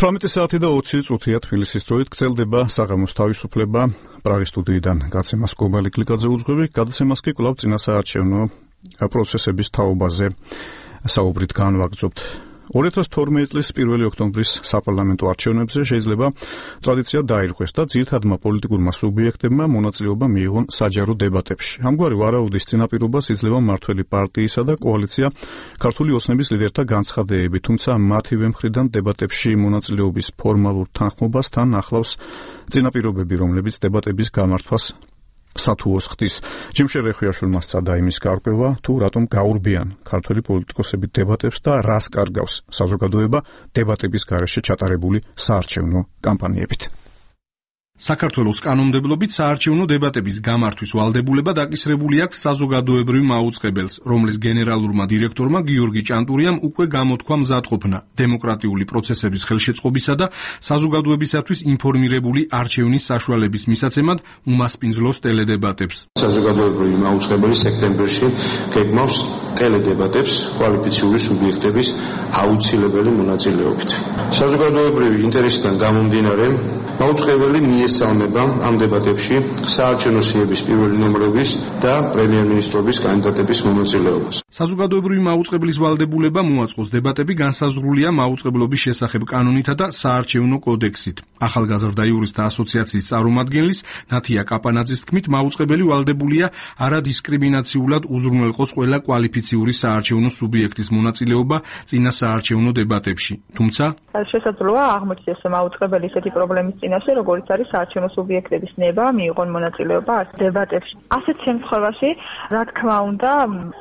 [SPEAKER 1] 18 საათი და 20 წუთია თბილისის დროით გრძელდება საღამოს თავისუფლება. პრაღის სტუდიიდან გაცემას კობალი კლიკაძე უძღვები, გადაცემას კი კვლავ წინასაარჩევნო პროცესების თაობაზე საუბრით განვაგრძობთ. 2012 წლის 1 ოქტომბრის საპარლამენტო არჩევნებზე შეიძლება ტრადიცია დაირღვეს და ძირითადმა პოლიტიკურმა სუბიექტებმა მონაწილეობა მიიღონ საჯარო დებატებში. ამგვარი ვარაუდის წინაპირობას იძლევა მმართველი პარტიისა და კოალიცია ქართული ოცნების ლიდერთა განცხადებები, თუმცა მათივე მხრიდან დებატებში მონაწილეობის ფორმალურ თანხმობას თან ახლავს წინაპირობები, რომლებიც დებატების გამართვას სათუოს ხდის. ჯიმშერ რეხვიაშვილმა სცადა იმის გარკვევა, თუ რატომ გაურბიან ქართველი პოლიტიკოსები დებატებს და რას კარგავს საზოგადოება დებატების გარეშე ჩატარებული საარჩევნო კამპანიებით.
[SPEAKER 10] საქართველოს კანონმდებლობით საარჩევნო დებატების გამართვის ვალდებულება დაკისრებული აქვს საზოგადოებრივ მაუწყებელს, რომლის გენერალურმა დირექტორმა გიორგი ჭანტურიამ უკვე გამოთქვა მზადყოფნა დემოკრატიული პროცესების ხელშეწყობისა და საზოგადოებისათვის ინფორმირებული არჩევნის საშუალების მისაცემად უმასპინძლოს ტელედებატებს.
[SPEAKER 16] საზოგადოებრივი მაუწყებელი სექტემბერში გეგმავს ტელედებატებს კვალიფიციური სუბიექტების აუცილებელი მონაწილეობით. საზოგადოებრივი ინტერესიდან გამომდინარე, მაუწყებელი მიესალმება ამ დებატებში საარჩევნო სიების პირველი ნომრების და პრემიერ-მინისტრობის კანდიდატების მონაწილეობას.
[SPEAKER 10] საზოგადოებრივი მაუწყებლის ვალდებულება მოაწყოს დებატები განსაზღვრულია მაუწყებლობის შესახებ კანონითა და საარჩევნო კოდექსით. ახალგაზრდა იურისტთა ასოციაციის წარმომადგენლის ნათია კაპანაძის თქმით, მაუწყებელი ვალდებულია არადისკრიმინაციულად უზრუნველყოს ყველა კვალიფიციური საარჩევნო სუბიექტის მონაწილეობა წინა საარჩევნო დებატებში. თუმცა
[SPEAKER 18] შესაძლოა აღმოჩნდეს მაუწყებელი ისეთი პრობლემის წინაშე, როგორც არის საარჩევნო სუბიექტების ნება მიიღონ მონაწილეობა დებატებში. ასეთ შემთხვევაში, რა თქმა უნდა,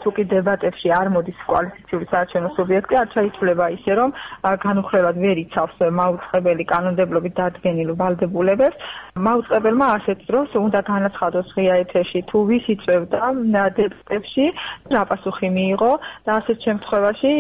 [SPEAKER 18] თუ კი დებატებში არ მოდის კვალიფიციური საარჩევნო სუბიექტი, არ ჩაითვლება ისე, რომ განუხრელად ვერ იცავს მაუწყებელი კანონმდებლობით დადგენილ ვალდებულებებს. მაუწყებელმა ასეთ დროს უნდა განაცხადოს ღია ეთერში, თუ ვის იწევდა დებატებში, რა პასუხი მიიღო და ასეთ შემთხვევაში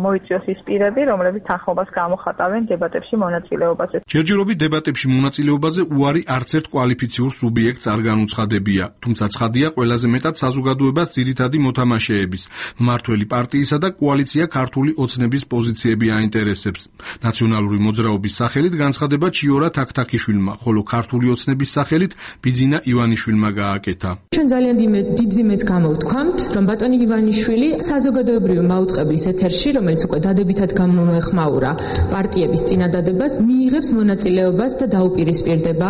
[SPEAKER 18] მოიწვიოს ის პირები, რომლებიც თანხმობას გამოხატავენ დებატებში მონაწილეობაზე.
[SPEAKER 10] ჯერჯერობით დებატებში მონაწილეობაზე უარი არც ერთ კვალიფიციურ სუბიექტს არ განუცხადებია, თუმცა ცხადია ყველაზე მეტად საზოგადოებას ძირითადი მოთამაშეების, მმართველი პარტიისა და კოალიცია ქართული ოცნების პოზიციები აინტერესებს. ნაციონალური მოძრაობის სახელით განცხადება ჩიორა თაქთაქიშვილმა, ხოლო ქართული ოცნების სახელით ბიძინა ივანიშვილმა გააკეთა.
[SPEAKER 19] ჩვენ ძალიან დიდ იმედს გამოვთქვამთ, რომ ბატონი ივანიშვილი საზოგადოებრივი მაუწყებლის ეთერში, რომელიც უკვე დადებითად გამოეხმაურა პარტიების წინადადებას, მიიღებს მონაწილეობას და დაუპირისპირდება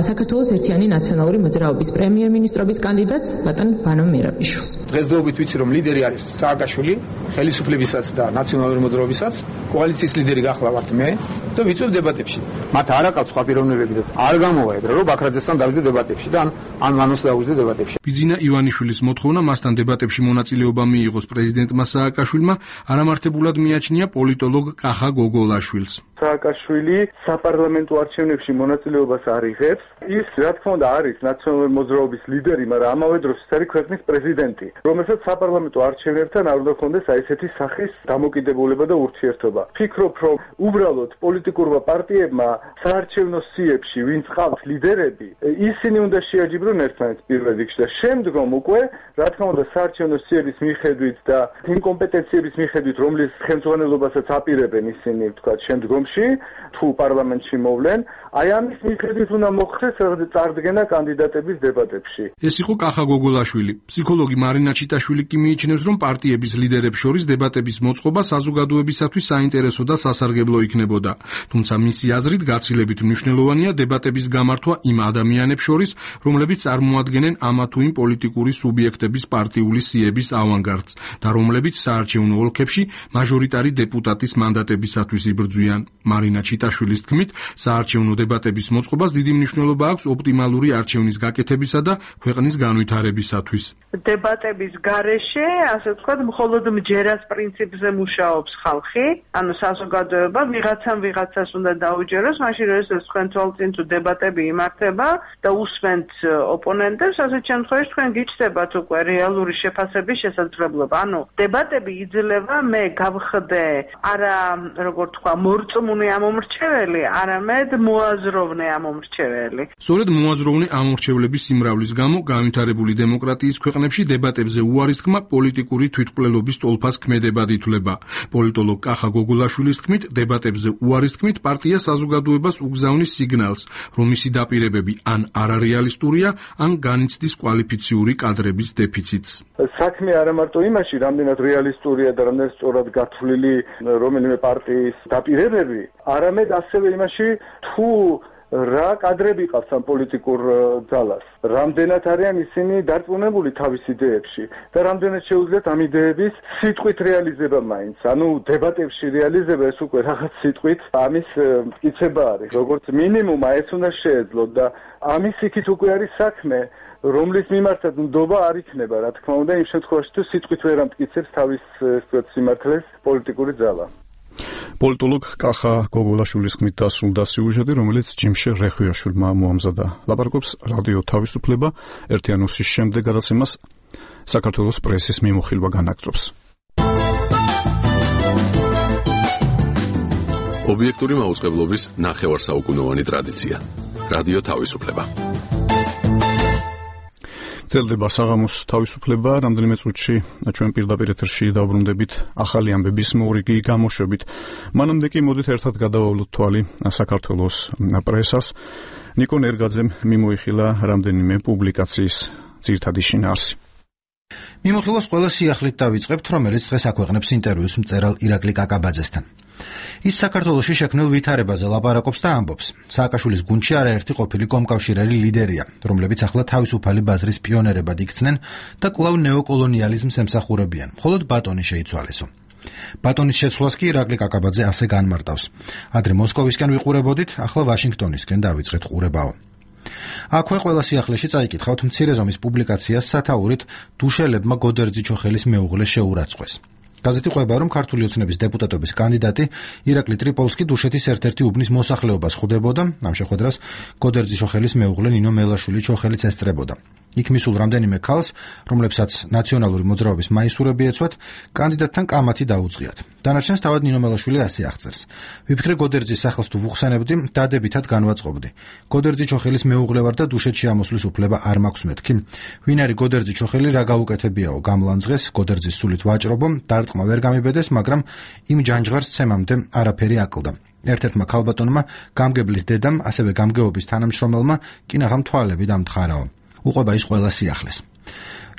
[SPEAKER 19] საქართველოს ერთიანი ნაციონალური მოძრაობის პრემიერ-მინისტრობის კანდიდატს ბატონ ვანო მერაბიშვილს.
[SPEAKER 13] დღესდღეობით ვიცი, რომ ლიდერი არის სააკაშვილი, ხელისუფლებისაც და ნაციონალური მოძრაობისაც, კოალიციის ლიდერი გახლავართ მე და ვიწვევ დებატებში. მათ არ აყავთ სხვა პიროვნებები და არ გამოვა ეგრე, რომ ბაქრაძესთან დავიდე დებატებში და ან მანოს დავუძე დებატებში.
[SPEAKER 10] ბიძინა ივანიშვილის მოთხოვნა მასთან დებატებში მონაწილეობა მიიღოს პრეზიდენტმა სააკაშვილმა არამართებულად მიაჩნია პოლიტოლოგ კახა გოგოლაშვილს.
[SPEAKER 20] სააკაშვილი საპარლამენტო არჩევნებში მონაწილეობას არ იღებს. ის რა თქმა უნდა არის ნაციონალური მოძრაობის ლიდერი, მაგრამ ამავე დროს ის არის ქვეყნის პრეზიდენტი, რომელსაც საპარლამენტო არჩევნებთან არ უნდა ჰქონდეს ესეთი სახის დამოკიდებულება და ურთიერთობა. ფიქრობ, რომ უბრალოდ პოლიტიკურმა პარტიებმა საარჩევნო სიებში, ვინც ყავთ ლიდერები, ისინი უნდა შეაჯიბრონ ერთმანეთს პირველ რიგში და შემდგომ უკვე, რა თქმა უნდა, საარჩევნო სიების მიხედვით და იმ კომპეტენციების მიხედვით, რომლის ხელმძღვანელობასაც აპირებენ ისინი, თქვა, შემდგომში, თუ პარლამენტში მოვლენ, აი ამის მიხედვით უნდა მოხდეს წარდგენა კანდიდატების დებატებში.
[SPEAKER 10] ეს იყო კახა გოგოლაშვილი. ფსიქოლოგი მარინა ჩიტაშვილი კი მიიჩნევს, რომ პარტიების ლიდერებს შორის დებატების მოწყობა საზოგადოებისათვის საინტერესო და სასარგებლო იქნებოდა. თუმცა მისი აზრით გაცილებით მნიშვნელოვანია დებატების გამართვა იმ ადამიანებს შორის, რომლებიც წარმოადგენენ ამა თუ იმ პოლიტიკური სუბიექტების პარტიული სიების ავანგარდს და რომლებიც საარჩევნო ოლქებში მაჟორიტარი დეპუტატის მანდატებისათვის იბრძვიან. მარინა ჩიტაშვილის თქმით, საარჩევნო დებატების მოწყობას დიდი მნიშვნელობა აქვს ოპტიმალური არჩევნის გაკეთებისა და ქვეყნის განვითარებისათვის.
[SPEAKER 8] დებატების გარეშე, ასე ვთქვათ, მხოლოდ მჯერას პრინციპზე მუშაობს ხალხი, ანუ საზოგადოება ვიღაცას უნდა დაუჯეროს, მაშინ როდესაც თქვენ თვალწინ თუ დებატები იმართება და უსმენთ ოპონენტებს, ასეთ შემთხვევაში თქვენ გიჩნდებათ უკვე რეალური შეფასების შესაძლებლობა. ანუ დებატები იძლევა მე გავხდე არა როგორ თქვა მორწმუნე ამომრჩეველი, არამედ მოაზროვნე ამომრჩეველი.
[SPEAKER 10] სწორედ მოაზროვნე ამომრჩევლების სიმრავლის გამო განვითარებული დემოკრატიის ქვეყნებში დებატებზე უარის თქმა პოლიტიკური თვითმკვლელობის ტოლფას ქმედებად ითვლება. პოლიტოლოგ კახა გოგოლაშვილის თქმით, დებატებზე უარის თქმით პარტია საზოგადოებას უგზავნის სიგნალს, რომ მისი დაპირებები ან არარეალისტურია, ან განიცდის კვალიფიციური კადრების დეფიციტს.
[SPEAKER 20] საქმე არა მარტო იმაში, რამდენად რეალისტურია და რამდენად სწორად გათვლილი რომელიმე პარტიის დაპირებები, არამედ ასევე იმაში, თუ რა კადრები ყავს ამ პოლიტიკურ ძალას, რამდენად არიან ისინი დარწმუნებული თავის იდეებში და რამდენად შეუძლიათ ამ იდეების სიტყვით რეალიზება მაინც. ანუ დებატებში რეალიზება ეს უკვე რაღაც სიტყვით ამის მტკიცება არის. როგორც მინიმუმ ეს უნდა შეეძლოთ და ამის იქით უკვე არის საქმე, რომლის მიმართაც ნდობა არ იქნება, რა თქმა უნდა, იმ შემთხვევაში თუ სიტყვით ვერ ამტკიცებს თავის სიმართლეს პოლიტიკური ძალა.
[SPEAKER 1] პოლიტოლოგ კახა გოგოლაშვილის თქმით დასრულდა სიუჟეტი, რომელიც ჯიმშე რეხვიაშვილმა მოამზადა. ლაპარაკობს რადიო თავისუფლება, ერთიანოსის შემდეგ გადაცემას საქართველოს პრესის მიმოხილვა განაგრძობს.
[SPEAKER 4] ობიექტური მაუწყებლობის ნახევარსაუკუნოვანი ტრადიცია. რადიო თავისუფლება.
[SPEAKER 1] ძლდება საღამოს თავისუფლება, რამდენიმე წუთში ჩვენ პირდაპირ ეთერში დავბრუნდებით ახალი ამბების მორიგი გამოშვებით. მანამდე კი მოდით ერთად გადავავლოთ თვალი საქართველოს პრესას. ნიკონ ერგაძემ მიმოიხილა რამდენიმე პუბლიკაციის ძირითადი შინაარსი.
[SPEAKER 21] მიმოხილვას ყველა სიახლით დავიწყებთ, რომელიც დღეს აქვეყნებს ინტერვიუს მწერალ ირაკლი კაკაბაძესთან. ის საქართველოში შექმნილ ვითარებაზე ლაპარაკობს და ამბობს. სააკაშვილის გუნდში არაერთი ყოფილი კომკავშირელი ლიდერია, რომლებიც ახლა თავისუფალი ბაზრის პიონერებად იქცნენ და კვლავ ნეოკოლონიალიზმს ემსახურებიან. მხოლოდ ბატონი შეიცვალესო. ბატონის შეცვლას კი ირაკლი კაკაბაძე ასე განმარტავს. ადრე მოსკოვისკენ ვიყურებოდით, ახლა ვაშინგტონისკენ დავიწყეთ ყურებაო. აქვე ყველა სიახლეში წაიკითხავთ მცირე ზომის პუბლიკაციას სათაურით დუშელებმა გოდერძი-ჩოხელის მეუღლე შეურაცხყვეს. გაზეთი ყვება, რომ ქართული ოცნების დეპუტატობის კანდიდატი ირაკლი ტრიპოლსკი დუშეთის ერთ-ერთი უბნის მოსახლეობას ხვდებოდა, ამ შეხვედრას გოდერძი-ჩოხელის მეუღლე ნინო მელაშვილი ჩოხელიც ესწრებოდა. იქ მისულ რამდენიმე ქალს, რომლებსაც ნაციონალური მოძრაობის მაისურები ეცვათ, კანდიდატთან კამათი დაუწყიათ. დანარჩენს თავად ნინო მელაშვილი ასე აღწერს. ვიფიქრე გოდერძის სახელს თუ ვუხსენებდი, დადებითად განვაწყობდი. გოდერძი-ჩოხელის მეუღლე ვარ და დუშეთში ამოსვლის უფლება არ მაქვს მეთქი. ვინ არის გოდერძი-ჩოხელი, რა გაუკეთებიაო, გამლანძღეს, გოდერძის სულით ვაჭრობო, დარტყმა ვერ გამიბედეს, მაგრამ იმ ჯანჯღარს ცემამდე არაფერი აკლდა. ერთ-ერთმა ქალბატონმა, გამგებლის დედამ, ასევე გამგეობის თანამშრომელმა კინაღამ თვალები დამთხარაო. უყვება ის ყველა სიახლეს.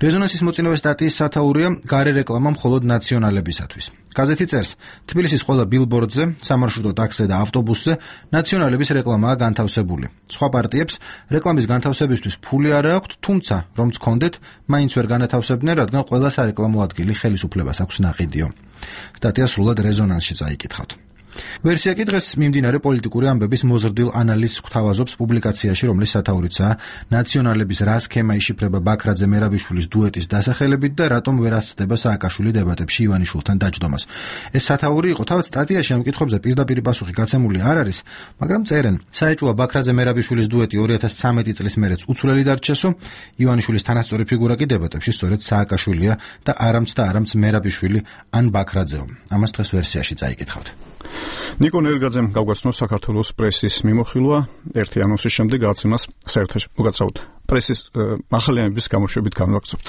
[SPEAKER 21] რეზონანსის მოწინავე სტატიის სათაურია გარე რეკლამა მხოლოდ ნაციონალებისათვის. გაზეთი წერს, თბილისის ყველა ბილბორდზე, სამარშრუტო ტაქსზე და ავტობუსზე ნაციონალების რეკლამაა განთავსებული. სხვა პარტიებს რეკლამის განთავსებისთვის ფული არ აქვთ, თუმცა რომც ჰქონდეთ, მაინც ვერ განათავსებდნენ, რადგან ყველა სარეკლამო ადგილი ხელისუფლებას აქვს ნაყიდიო. სტატია სრულად რეზონანსში წაიკითხავთ. ვერსია კი დღეს მიმდინარე პოლიტიკური ამბების მოზრდილ ანალიზს გვთავაზობს პუბლიკაციაში, რომლის სათაურიცაა ნაციონალების რა სქემა იშიფრება ბაქრაძე მერაბიშვილის დუეტის დასახელებით და რატომ ვერ ასწდება სააკაშვილი დებატებში ივანიშვილთან დაჯდომას. ეს სათაური იყო, თავად სტატიაში ამ კითხვებზე პირდაპირ პასუხი გაცემული არ არის, მაგრამ წერენ, საეჭვია ბაქრაძე მერაბიშვილის დუეტი 2013 წლის მერეც უცვლელი დარჩესო, ივანიშვილის თანასწორი ფიგურა კი დებატებში სწორედ სააკაშვილია და არამც მერაბიშვილი ან ბაქრაძეო. ამას დღეს ვერსიაში წაიკითხავთ.
[SPEAKER 1] ნიკონ ერგაძემ გავგაცნოს საქართველოს პრესის მიმოხილვა ერთიანოსის შემდეგ გაცემას საერთაშორისო მოგაცავთ პრესის ახალი ამბების გამოშვებით განვაგრძობთ.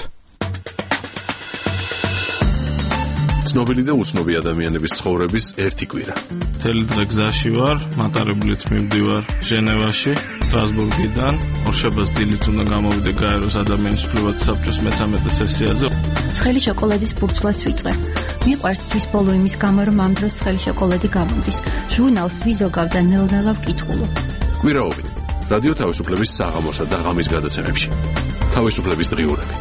[SPEAKER 4] ცნობილი და უცნობი ადამიანების ცხოვრების ერთი კვირა.
[SPEAKER 3] მთელი დღე გზაში ვარ, მატარებლით მივდივარ ჟენევაში, სტრასბურგიდან. ორშაბათს დილით უნდა გამოვიდე გაეროს ადამიანის უფლებათა საბჭოს მე-13 სესიაზე.
[SPEAKER 5] ცხელი შოკოლადის ბურთვას ვიწყე. მიყვარს თვის ბოლო იმის გამო, რომ ამ დროს ცხელი შოკოლადი გამოდის. ჟურნალს ვიზოგავ და ნელ-ნელა ვკითხულობ.
[SPEAKER 4] კვირაობით რადიო თავისუფლების საღამოსა და ღამის გადაცემებში. თავისუფლების დღიურები.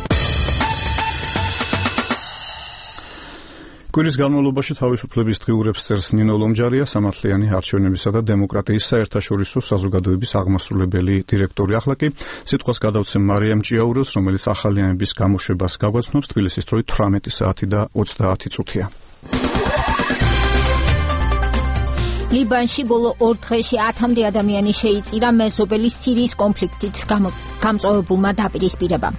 [SPEAKER 1] კვირის განმავლობაში თავისუფლების დღიურებს წერს ნინო ლომჯარია, სამართლიანი არჩევნებისა და დემოკრატიის საერთაშორისო საზოგადოების აღმასრულებელი დირექტორი. ახლა კი სიტყვას გადავცემ მარიამ ჭიაურელს, რომელიც ახალიანების გამოშვებას გაგვაცნობს. თბილისის დროით 18 საათი და 30 წუთია.
[SPEAKER 2] ლიბანში ბოლო 2 დღეში 10-მდე ადამიანი შეიწირა მეზობელი სირიის კონფლიქტით გამწვავებულმა დაპირისპირებამ.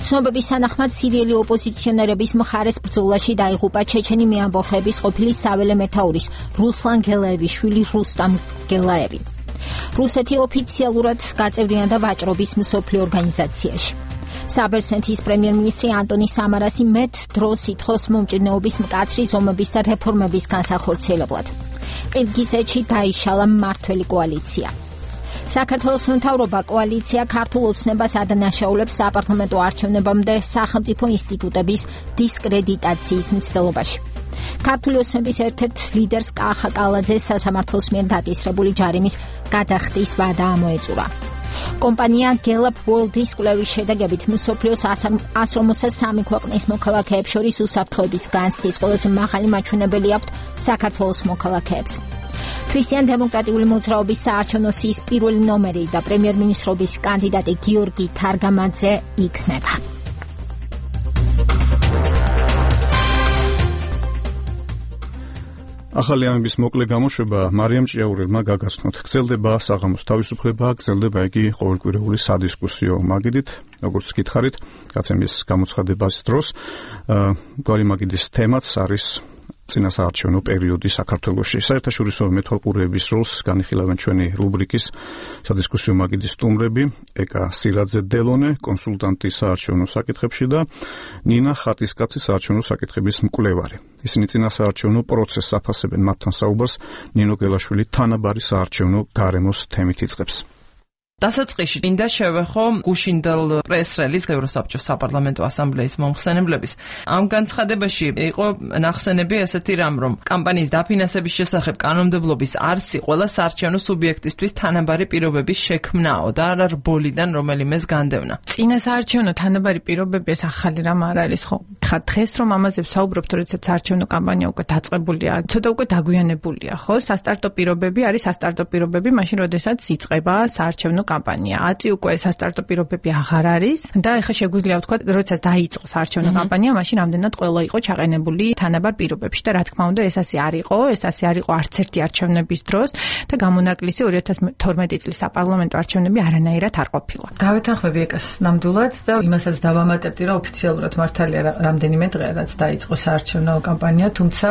[SPEAKER 2] ცნობების თანახმად სირიელი ოპოზიციონერების მხარეს ბრძოლაში დაიღუპა ჩეჩენი მეამბოხეების ყოფილი საველე მეთაურის რუსლან გელაევის შვილი რუსტამ გელაევი. რუსეთი ოფიციალურად გაწევრიანდა ვაჭრობის მსოფლიო ორგანიზაციაში. საბერძნეთის პრემიერ-მინისტრი ანტონი სამარასი მეტ დროს ითხოვს მომჭირნეობის მკაცრი ზომების და რეფორმების განსახორციელებლად. ყირგიზეთში დაიშალა მმართველი კოალიცია. საქართველოს მთავრობა კოალიცია ქართულ ოცნებას ადანაშაულებს საპარლამენტო არჩევნებამდე სახელმწიფო ინსტიტუტების დისკრედიტაციის მცდელობაში. ქართული ოცნების ერთ-ერთ ლიდერს კახა კალაძეს სასამართლოს მიერ დაკისრებული ჯარიმის გადახდის ვადა ამოეწურა. კომპანია Gallup World-ის კვლევის შედეგებით მსოფლიოს 153 ქვეყნის მოქალაქეებს შორის უსაფრთხოების განცდის ყველაზე მაღალი მაჩვენებელი აქვთ საქართველოს მოქალაქეებს. ქრისტიან-დემოკრატიული მოძრაობის საარჩევნო სიის პირველი ნომერი და პრემიერ-მინისტრობის კანდიდატი გიორგი თარგამაძე იქნება.
[SPEAKER 1] ახალი ამების მოკლე გამოშვება მარიამ ჭიაურელმა გაგაცნოთ. გრძელდება საღამოს თავისუფლება, გრძელდება იგი ყოველკვირეული სადისკუსიო მაგიდით, როგორც გითხარით, გაცემის გამოცხადებას დროს. გვარი მაგიდის თემაც არის წინასაარჩევნო პერიოდი საქართველოში. საერთაშორისო მეთვალყურეების როლს განიხილავენ ჩვენი რუბრიკის სადისკუსიო მაგიდის სტუმრები, ეკა სილაძე დელონე, კონსულტანტი საარჩევნო საკითხებში და ნინა ხატისკაცი საარჩევნო საკითხების მკვლევარი. ისინი წინასაარჩევნო პროცესს აფასებენ, მათთან საუბარს ნინო გელაშვილი თანაბარი საარჩევნო გარემოს თემით იწყებს.
[SPEAKER 22] დასაწყისში მინდა შევეხო გუშინდელ პრეს-რელიზს ევროსაბჭოს საპარლამენტო ასამბლეის მომხსენებლების. ამ განცხადებაში იყო ნახსენები ესეთი რამ, რომ კამპანიის დაფინანსების შესახებ კანონმდებლობის არსი ყველა საარჩევნო სუბიექტისთვის თანაბარი პირობების შექმნაო და არა რბოლიდან რომელიმეს განდევნა.
[SPEAKER 7] წინასაარჩევნო თანაბარი პირობები ეს ახალი რამ არ არის ხო? ხა დღეს რომ ამაზე ვსაუბრობთ, როდესაც საარჩევნო კამპანია უკვე დაწყებულია, ცოტა უკვე დაგვიანებულია, ხო? სასტარტო პირობები არის სასტარტო პირობები, მაშინ როდესაც იწყება საარჩევნო კამპანია. აწი უკვე სასტარტო პირობები აღარ არის და ეხლა შეგვიძლია ვთქვათ, როდესაც დაიწყო საარჩევნო კამპანია, მაშინ ამდენად ყველა იყო ჩაყენებული თანაბარ პირობებში და რა თქმა უნდა, ეს ასე არ იყო არც ერთი არჩევნების დროს და გამონაკლისი 2012 წლის საპარლამენტო არჩევნები არანაირად არ ყოფილა.
[SPEAKER 6] დავეთანხმები ეკას ნამდვილად და იმასაც დავამატებდი, რომ ოფიციალურად მართალია რამდენიმე დღე რაც დაიწყო საარჩევნო კამპანია, თუმცა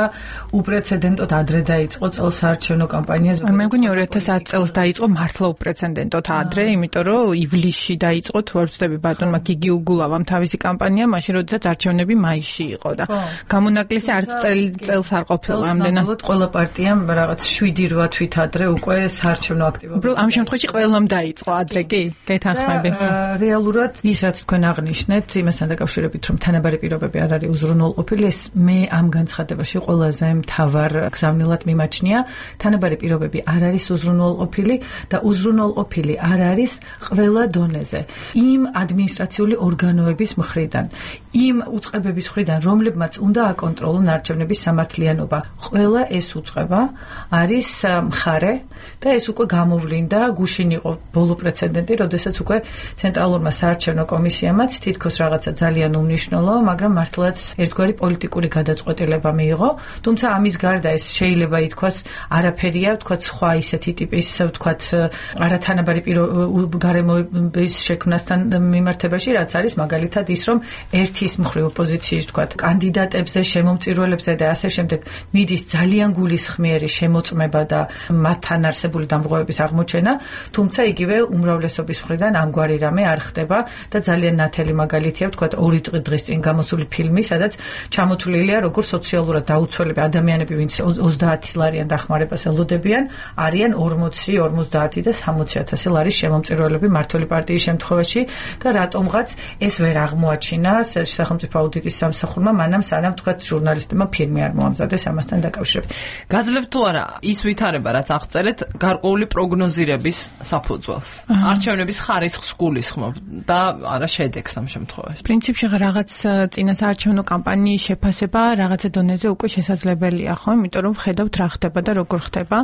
[SPEAKER 6] უპრეცედენტოდ ადრე დაიწყო წელს საარჩევნო კამპანია.
[SPEAKER 7] მე მგონი 2010 წელს დაიწყო მართლა უპრეცედენტოდ ადრე, იმიტომ რომ ივლისში დაიწყო, თუ არ ვცდები ბატონმა გიგი უგულავამ თავისი კამპანია, მაშინ როდესაც არჩევნები მაისში იყო და გამონაკლისი არც წელს არ ყოფილა ამდენად.
[SPEAKER 6] ყველა პარტიამ რაღაც 7-8 თვით ადრე უკვე საარჩევნო აქტივობა.
[SPEAKER 7] ამ შემთხვევაში ყველამ დაიწყო ადრე კი? გეთანხმები.
[SPEAKER 6] რეალურად ის რაც თქვენ აღნიშნეთ, იმასთან დაკავშირებით, რომ თანაბარი პირობები არ არის უზრუნველყოფილი, ეს მე ამ განცხადებაში ყველაზე მთავარ გზავნილად მიმაჩნია. თანაბარი პირობები არ არის უზრუნველყოფილი და უზრუნველყოფილი არ არის ყველა დონეზე. იმ ადმინისტრაციული ორგანოების მხრიდან, იმ უწყებების მხრიდან, რომლებმაც უნდა აკონტროლონ არჩევნების სამართლიანობა. ყველა ეს უწყება არის მხარე და ეს უკვე გამოვლინდა, გუშინ იყო ბოლო პრეცედენტი, როდესაც უკვე ცენტრალურმა საარჩევნო კომისიამაც თითქოს რაღაცა ძალიან უმნიშვნელო, მაგრამ მართლაც ერთგვარი პოლიტიკური გადაწყვეტილება მიიღო. თუმცა ამის გარდა ეს შეიძლება ითქვას არაფერია, ვთქვათ სხვა ისეთი ტიპის, ვთქვათ არათანაბარი პირობები გარემოების შექმნასთან მიმართებაში, რაც არის მაგალითად ის, რომ ერთის მხრივ ოპოზიციის თქვა კანდიდატებზე, შემომწირულებზე და ასე შემდეგ მიდის ძალიან გულისხმიერი შემოწმება და მათთან არსებული დამრღვევების აღმოჩენა, თუმცა იგივე უმრავლესობის მხრიდან ამგვარი რამე არ ხდება და ძალიან ნათელი მაგალითია თქვა 2 დღის წინ გამოსული ფილმი, სადაც ჩამოთვლილია როგორ სოციალურად დაუცველები ადამიანები, ვინც 30 ლარიან დახმარებას ელოდებიან, არიან 40, 50 და 60,000 ლარის შემომწირულები მართული პარტიის შემთხვევაში და რატომღაც ეს ვერ აღმოაჩინა სახელმწიფო აუდიტის სამსახურმა, მანამ სანამ თქვა ჟურნალისტებმა ფილმი არ მოამზადეს ამასთან დაკავშირებით.
[SPEAKER 22] გაძლევთ თუ არა ის ვითარება, რაც აღწერეთ, გარკვეული პროგნოზირების საფუძველს. არჩევნების ხარისხს გულისხმობ და არა შედეგს ამ შემთხვევაში.
[SPEAKER 7] პრინციპში რაღაც წინასაარჩევნო კამპანიის შეფასება რაღაცა დონეზე უკვე შესაძლებელია, ხო? იმიტომ რომ ხედავთ რა ხდება და როგორ ხდება.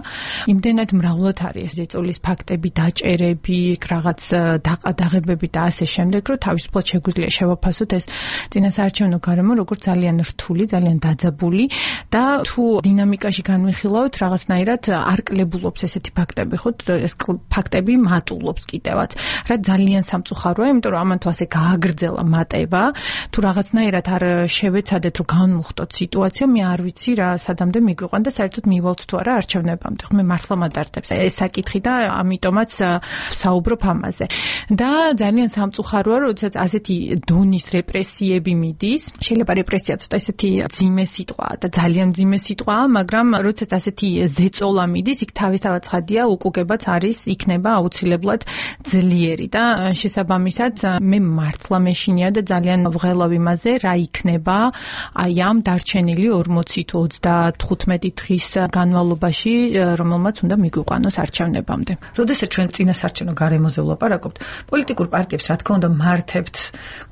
[SPEAKER 7] იმდენად მრავლად არის ძეწოლის ფაქტები, დაჭერები, რაღაც დაყადაღებები და ასე შემდეგ, რომ თავისუფლად შეგვიძლია შევაფასოთ ეს წინასაარჩევნო გარემო როგორც ძალიან რთული, ძალიან დაძაბული და თუ დინამიკაში განვიხილავთ, რაღაცნაირად არ კლებულობს ესეთი ფაქტები, ხო? ეს ფაქტები მატულობს კიდევაც. რა ძალიან სამწუხაროა, იმიტომ რომ ამან თუ ასე გააგრძელა მატება, თუ რაღაცნაირად არ შევეცადეთ, რომ განვუხტოთ სიტუაცია, მე არ ვიცი რა სადამდე მიგვიყვან და საერთოდ მივალთ თუ არა არჩევნებამდე. მე მართლა მადართებს ეს საკითხი და ამიტომაც საუბრობ ამაზე. და ძალიან სამწუხაროა, როდესაც ასეთი დონის რეპრესიები მიდის. შეიძლება რეპრესია ცოტა ესეთი ძიმე სიტყვაა და ძალიან ძიმე სიტყვაა, მაგრამ როდესაც ასეთი ზეწოლა მიდის, იქ თავისთავად ცხადია, უკუგებაც არის, იქნება აუცილებლად ძლიერი და შესაბამისად მე მართლა მეშინია და ძალიან ვღელავ იმაზე, რა იქნება აი ამ დარჩენილი 40 თუ 35 დღის განმავლობაში, რომელმაც უნდა მიგვიყვანოს არჩევნებამდე.
[SPEAKER 6] როდესაც ჩვენ წინასაარჩევნო გარემოზე ვლაპარაკობთ, პოლიტიკურ პარტიებს რა თქმა უნდა მართებთ,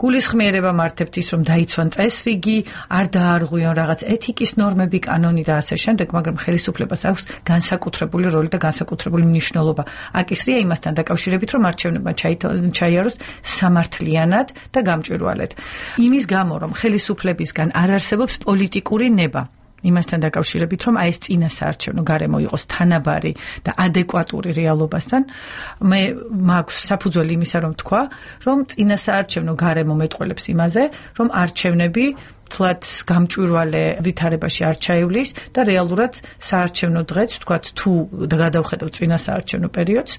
[SPEAKER 6] გულისხმიერება მართებთ ის, რომ დაიცვან წესრიგი, არ დაარღვიონ რაღაც ეთიკის ნორმები, კანონი და ასე შემდეგ, მაგრამ ხელისუფლებას აქვს განსაკუთრებული როლი და განსაკუთრებული მნიშვნელობა. აკისრია იმასთან დაკავშირებით, რომ არჩევნებმა ჩაიაროს სამართლიანად და გამჭვირვალედ. იმის გამო, რომ ხელისუფლებისგან არ არსებობს პოლიტიკური ნება. იმასთან დაკავშირებით, რომ აი ეს წინასაარჩევნო გარემო იყოს თანაბარი და ადეკვატური რეალობასთან, მე მაქვს საფუძველი იმისა, რომ თქვა, რომ წინასაარჩევნო გარემო მეტყველებს იმაზე, რომ არჩევნები თლად გამჭვირვალე ვითარებაში არ ჩაივლის და რეალურად საარჩევნო დღეც, თქვათ, თუ გადავხედავ წინასაარჩევნო პერიოდს,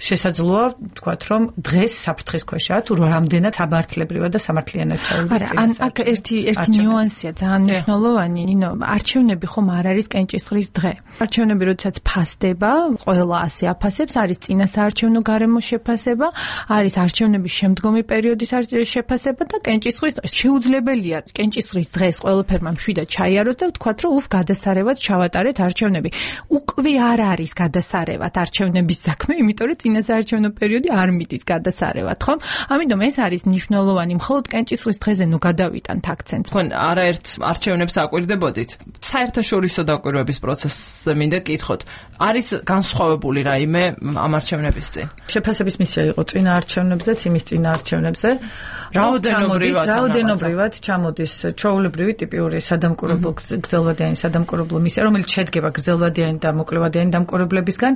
[SPEAKER 6] შესაძლოა, თქვათ, რომ დღეს საფრთხის ქვეშაა, თუ რამდენად სამართლებრივად და სამართლიანად ჩაივლის წინასაარჩევნო. აქ ერთი ნიუანსია ძალიან მნიშვნელოვანი, ნინო, არჩევნები ხომ არ არის კენჭისყრის დღე. არჩევნები როდესაც ფასდება, ყველა ასე აფასებს, არის წინასაარჩევნო გარემოს შეფასება, არის არჩევნების შემდგომი პერიოდის შეფასება და კენჭისყრის დღე. შეუძლებელია კენჭისყრის დღეს ყველაფერმა მშვიდად ჩაიაროს და ვთქვათ, რომ გადასარევად ჩავატარეთ არჩევნები. უკვე არ არის გადასარევად არჩევნების საქმე, იმიტომ რომ წინასაარჩევნო პერიოდი არ მიდის გადასარევად, ხომ? ამიტომ ეს არის მნიშვნელოვანი, მხოლოდ კენჭისყრის დღეზე ნუ გადავიტანთ აქცენტს.
[SPEAKER 22] თქვენ არაერთ არჩევნებს აკვირდებოდით? საერთაშორისო დაკვირვების პროცესზე მინდა გკითხოთ. არის განსხვავებული რაიმე ამ არჩევნების წინ?
[SPEAKER 6] შეფასების მისია იყო წინა არჩევნებზეც, იმის წინა არჩევნებზე. რაოდენობრივად ჩამოდის ჩვეულებრივი ტიპიური სადამკვირვებლო გრძელვადიანი სადამკვირვებლო მისია, რომელიც შედგება გრძელვადიანი და მოკლევადიანი დამკვირვებლებისგან.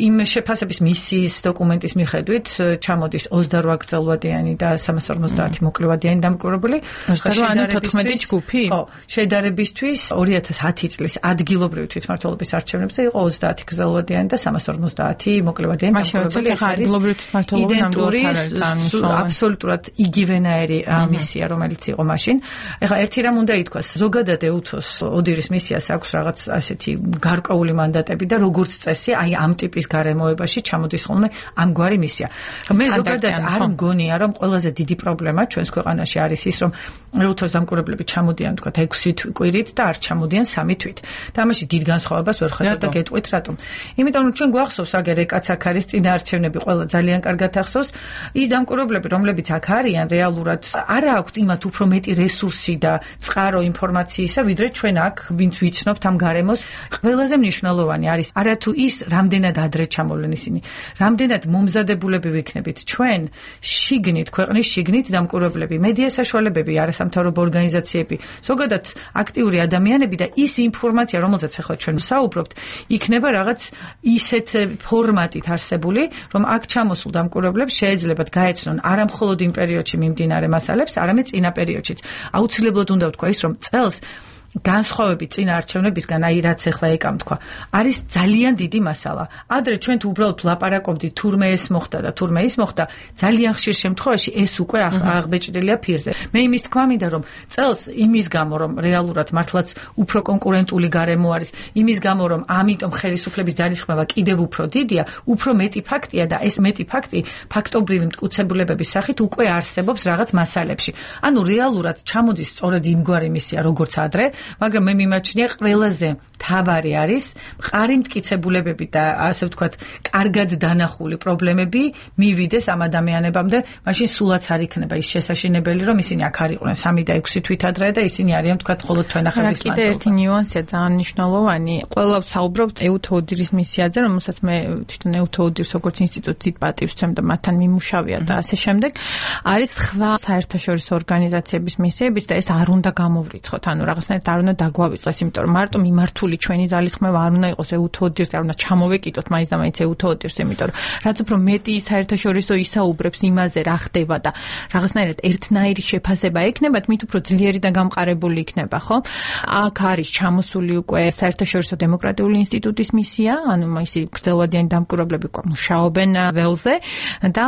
[SPEAKER 6] იმ შეფასების მისიის დოკუმენტის მიხედვით ჩამოდის 28 გრძელვადიანი და 350 მოკლევადიანი დამკვირვებელი.
[SPEAKER 7] 14 ჯგუფი?
[SPEAKER 6] ხო, შედარებისთვის 2010 წლის ადგილობრივი თვითმმართველობის არჩევნებზე იყო 30 გრძელვადიანი და 350 მოკლევადიანი დამკვირვებელი.
[SPEAKER 7] ეს არის
[SPEAKER 6] იდენტური, აბსოლუტურად იგივენაირი მისია, რომელიც იყო მაშინ. ეხლა ერთი რამ უნდა ითქვას, ზოგადად EUTHOS ოდირის მისიას აქვს რაღაც ასეთი გარკვეული მანდატები და როგორც წესი, აი ამ ტიპის გარემოებაში ჩამოდის ხოლმე ამგვარი მისია. მე ზოგადად არ მგონია, რომ ყველაზე დიდი პრობლემა ჩვენს ქვეყანაში არის ის, რომ EUTHOS დამკვირვებლები ჩამოდიან, თქვა 6 კვირით და არ ჩამოდიან 3 თვით. და ამაში დიდ განსხვავებას ვერ ხედავ და გეტყვით რატომ. იმიტომ რომ ჩვენ გვახსოვს აგერ ეკაც აქ არის წინა არჩევნები, ყველა ძალიან კარგად ახსოვს, ის დამკვირვებლები, რომლებიც აქ არიან რეალურად არ აქვთ იმათ უფრო მეტი რესურსი და წყარო ინფორმაციისა, ვიდრე ჩვენ აქ ვინც ვიცნობთ ამ გარემოს. ყველაზე მნიშვნელოვანი არის არა თუ ის რამდენად ადრე ჩამოვლენ ისინი, რამდენად მომზადებულები ვიქნებით ჩვენ შიგნით, ქვეყნის შიგნით დამკვირვებლები, მედია საშუალებები, არასამთავრობო ორგანიზაციები, ზოგადად აქტიური ადამიანები და ის ინფორმაცია, რომელზეც ახლა ჩვენ ვსაუბრობთ, იქნება რაღაც ისეთ ფორმატით არსებული, რომ აქ ჩამოსულ დამკვირვებლებს შეეძლებათ გაეცნონ არა მხოლოდ იმ პერიოდში მიმდინარე მასალებს, არამედ წინა პერიოდშიც. აუცილებლად უნდა ვთქვა ის, რომ წელს განსხვავებით წინა არჩევნებისგან, აი რაც ახლა ეკამ თქვა, არის ძალიან დიდი მასალა. ადრე ჩვენ თუ უბრალოდ ვლაპარაკობდით თურმე ეს მოხდა და თურმე ის მოხდა, ძალიან ხშირ შემთხვევაში ეს უკვე აღბეჭდილია ფირზე. მე იმის თქვა მინდა, რომ წელს იმის გამო, რომ რეალურად მართლაც უფრო კონკურენტული გარემო არის, იმის გამო, რომ ამიტომ ხელისუფლების ძალისხმევა კიდევ უფრო დიდია, უფრო მეტი ფაქტია და ეს მეტი ფაქტი ფაქტობრივი მტკიცებულებების სახით უკვე არსებობს რაღაც მასალებში. ანუ რეალურად ჩამოდის სწორედ იმგვარი მისია, როგორც ადრე, მაგრამ მე მიმაჩნია ყველაზე მთავარი არის მყარი მტკიცებულებები და ასე ვთქვათ, კარგად დანახული პრობლემები მივიდეს ამ ადამიანებამდე, მაშინ სულაც არ იქნება ის შესაშინებელი, რომ ისინი აქ არ იყვნენ 3 და 6 თვით ადრე და ისინი არიან ვთქვათ მხოლოდ თვენახევრის მანძილზე.
[SPEAKER 7] კიდე ერთი ნიუანსია ძალიან მნიშვნელოვანი. ყველა ვსაუბრობთ ეუთოუდირის მისიაზე, რომელსაც მე თვითონ ეუთოუდირს როგორც ინსტიტუტით პატივს ვცემ და მათთან მიმუშავია და ასე შემდეგ. არის სხვა საერთაშორისო ორგანიზაციების მისიებიც და ეს არ უნდა გამოვრიცხოთ. ანუ რაღაცნაირად არ უნდა დაგვავიწყდეს, იმიტომ რომ მარტო მიმართული ჩვენი ძალისხმევა არ უნდა იყოს ეუთოუდირს, არ უნდა ჩამოვეკიდოთ მაინც და მაინც ეუთოუდირს, იმიტომ რომ რაც უფრო მეტი საერთაშორისო ისაუბრებს იმაზე, რა ხდება და რაღაცნაირად ერთნაირი შეფასება ექნებათ, მით უფრო ძლიერი და გამყარებული იქნება, ხო? აქ არის ჩამოსული უკვე საერთაშორისო დემოკრატიული ინსტიტუტის მისია, ანუ ისინი გრძელვადიანი დამკვირვებლები მუშაობენ ველზე და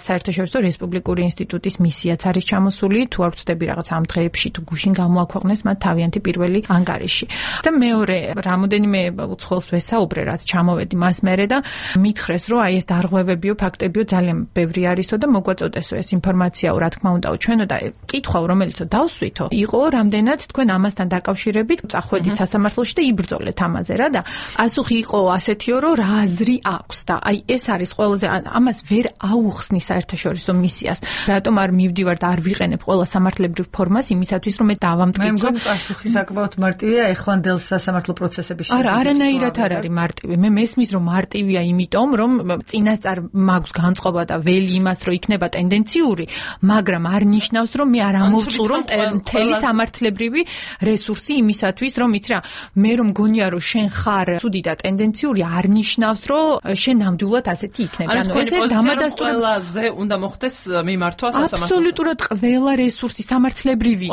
[SPEAKER 7] საერთაშორისო რესპუბლიკური ინსტიტუტის მისიაც არის ჩამოსული, თუ არ ვწდები რაღაც ამ დღეებში თუ გუშინ გამოაქვეყნეს მათ თავიანთი პირველი ანგარიში. და მეორე, რამოდენიმე უცხოელს ვესაუბრე, რაც ჩამოვედი მას მერე და მითხრეს, რომ აი ეს დარღვევებიო, ფაქტებიო ძალიან ბევრი არისო და მოგვაწოდესო ეს ინფორმაციაო, რა თქმა უნდა, ჩვენო და კითხვა, რომელიც დავსვითო, იყო რამდენად თქვენ ამასთან დაკავშირებით წახვედით სასამართლოში და იბრძოლეთ ამაზე რა და პასუხი იყო ასეთიო, რომ რა აზრი აქვს და აი ეს არის ყველაზე ამას ვერ აუხსნის საერთაშორისო მისიას. რატომ არ მივდივარ და არ ვიყენებ ყველა სამართლებრივ ფორმას იმისათვის, რომ მე დავამტკიცო.
[SPEAKER 6] პასუხი საკმაოდ მარტივია ეხლანდელ სასამართლო პროცესებში.
[SPEAKER 7] არა, არანაირად არ არის მარტივი. მე მესმის, რომ მარტივია იმიტომ, რომ წინასწარ მაქვს განწყობა და ველი იმას, რომ იქნება ტენდენციური, მაგრამ არ ნიშნავს, რომ მე არ ამოვწურო მთელი სამართლებრივი რესურსი იმისათვის, რომ იცი რა, მე რომ გონია, რომ შენ ხარ ცუდი და ტენდენციური, არ ნიშნავს, რომ შენ ნამდვილად ასეთი იქნება.
[SPEAKER 22] ანუ ეს დამადასტურებელი ყველაზე უნდა მოხდეს მიმართვა სასამართლოში.
[SPEAKER 7] აბსოლუტურად ყველა რესურსი სამართლებრივი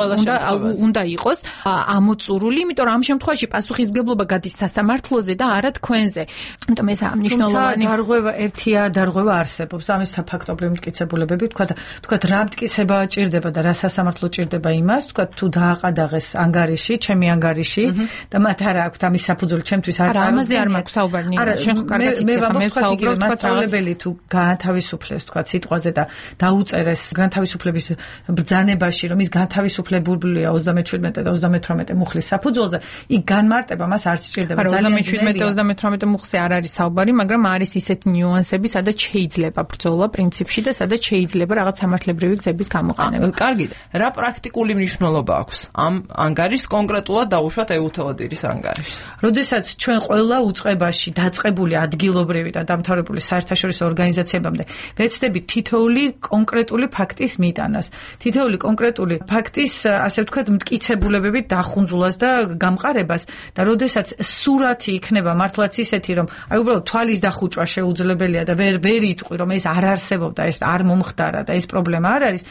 [SPEAKER 7] უნდა იყოს ამოწურული, იმიტომ რომ ამ შემთხვევაში პასუხისმგებლობა გადის სასამართლოზე და არა თქვენზე. იმიტომ ეს მნიშვნელოვანი
[SPEAKER 6] დარღვევა ერთია, დარღვევა არსებობს. ამის ფაქტობრივი მტკიცებულებები, თქვათ რა მტკიცება ჭირდება და რა სასამართლო ჭირდება იმას, თქვათ თუ დააყადაღეს ანგარიში, ჩემი ანგარიში და მათ არა აქვთ ამის საფუძველი, ჩემთვის არ
[SPEAKER 7] წარუდგენია. ამაზე არ მაქვს საუბარი. შენ ხო კარგად იცი, მე ვსაუბრობ,
[SPEAKER 6] თქვათ სწავლებელი თუ გაანთავისუფლეს, თქვათ სიტყვაზე და დაუწერეს განთავისუფლების ბრძანებაში, რომ ის განთავისუფლებულია 37 და 38 მუხლის საფუძველზე, იქ განმარტება მას არ სჭირდება.
[SPEAKER 7] ძალიან 37-38 მუხლზე არ არის საუბარი, მაგრამ არის ისეთი ნიუანსები, სადაც შეიძლება ბრძოლა პრინციპში და სადაც შეიძლება რაღაც სამართლებრივი გზების გამოყენება.
[SPEAKER 22] კარგი. რა პრაქტიკული მნიშვნელობა აქვს ამ ანგარიშს კონკრეტულად დაუშვათ ეუთოუდირის ანგარიშს?
[SPEAKER 6] როდესაც ჩვენ ყველა უწყებაში დაწყებული ადგილობრივი და დამთავრებული საერთაშორისო ორგანიზაციებამდე ვეცდებით თითოეული კონკრეტული ფაქტის მიტანას, თითოეული კონკრეტული ფაქტის, ასე ვთქვათ, მტკიცებულებებით დახუნძულას და გამყარებას და როდესაც სურათი იქნება მართლაც ისეთი, რომ აი უბრალოდ თვალის დახუჭვა შეუძლებელია და ვერ იტყვი, რომ ეს არ არსებობდა, ეს არ მომხდარა და ეს პრობლემა არ არის.